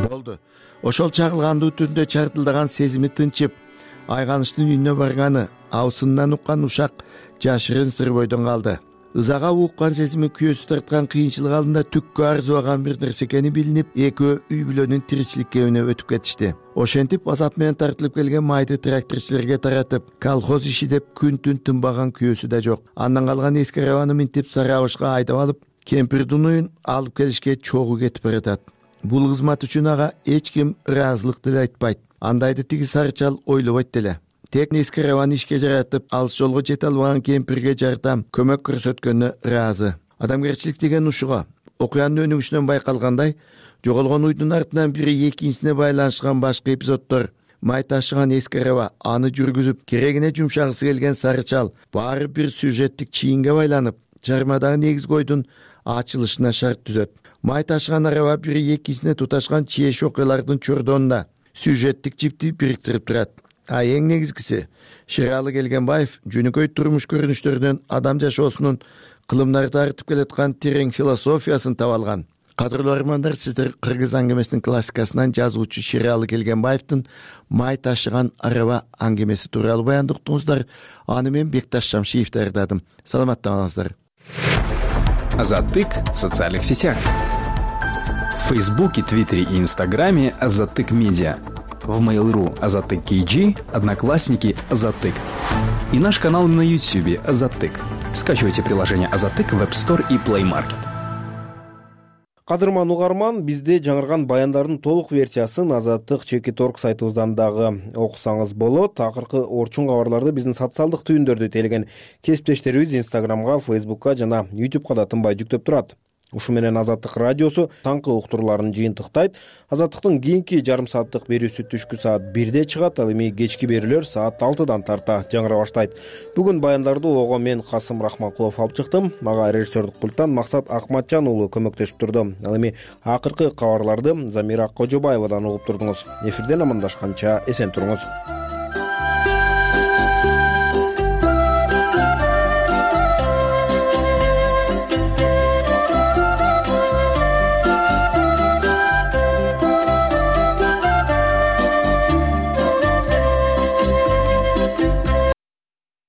Болду. Ошол чагылгандуу түндө чартылдаган сезими тынчып, айганыштын үйүнө барганы, аусындан уккан ушак жашырын сыр бойдон калды. Ызага уккан сезими күйөөсү тарткан кыйынчылык алдында түккө арзыбаган бир нерсе экени билинип, экөө үй бүлөнүн тиричилик кебине өтүп кетишти. Ошентип азап менен тартылып келген майды тракторчуларга таратып, колхоз иши деп күн-түн тынбаган күйөөсү да жок. Андан калган эски арабаны минтип Сарабышка айдап алып, кемпирдин уюн алып келишке чогуу кетип баратат. Бул кызмат үчүн ага эч ким ыраазылык деле айтпайт. Андайды тиги сарычал ойлобойт деле. Тек эски арабаны ишке жаратып, алыс жолго жете албаган кемпирге жардам, көмөк көрсөткөнүнө ыраазы. Адамгерчилик деген ушуга. Окуянын өнүгүшүнөн байкалгандай, жоголгон уйдун артынан бири экинчисине байланышкан башка эпизоддор, май ташыган эски араба, аны жүргүзүп, керегине жумшагысы келген сарычал, баары бир сюжеттик чийинге байланып, чармадагы негизги ойдун ачылышына шарт түзөт. Май ташыган араба бири экинчисине туташкан чиеш окуялардын чордонуна сюжеттик жипти бириктирип турат. А эң негизгиси, Шералы Келгенбаев жөнөкөй турмуш көрүнүштөрүнөн адам жашоосунун кылымдарды тартып келаткан терең философиясын таба алган. Кадырлуу армандар, сиздер кыргыз аңгемесинин классикасынан жазуучу Шералы Келгенбаевдин Май ташыган араба аңгемеси тууралуу баянды уктуңуздар. Аны мен Бекташ Шамшиев даярдадым. Саламатта калыңыздар. Азаттык в социальных сетях. В Фейсбуке, Твиттере и Инстаграме Азаттык Медиа. В Mail.ru Азаттык KG, Одноклассники Азаттык. И наш канал на YouTube Азаттык. Скачивайте приложение Азаттык в App Store и Play Market. Кадырман угарман, бизде жаңырган баяндардын толук версиясын Азаттык.org сайтыбыздан дагы окусаңыз болот. Акыркы орчун кабарларды биздин социалдык түйүндөрдө телеген кесиптештерибиз Instagramга, Facebookка жана YouTubeга да тынбай жүктөп турат. Ушу менен Азаттык радиосу таңкы уктурууларын жыйынтыктайт. Азаттыктын кийинки жарым сааттык берүүсү түшкү саат 1де чыгат, ал эми кечки берүүлөр саат 6дан тарта жаңыра баштайт. Бүгүн баяндарды ого мен Касым Рахманкулов алып чыктым. Мага режиссердик пульттан Максат Акматжан уулу көмөктөшүп турду. Ал эми акыркы кабарларды Замира Кожобаевадан угуп турдуңуз. Эфирден амандашканча эсен туруңуз.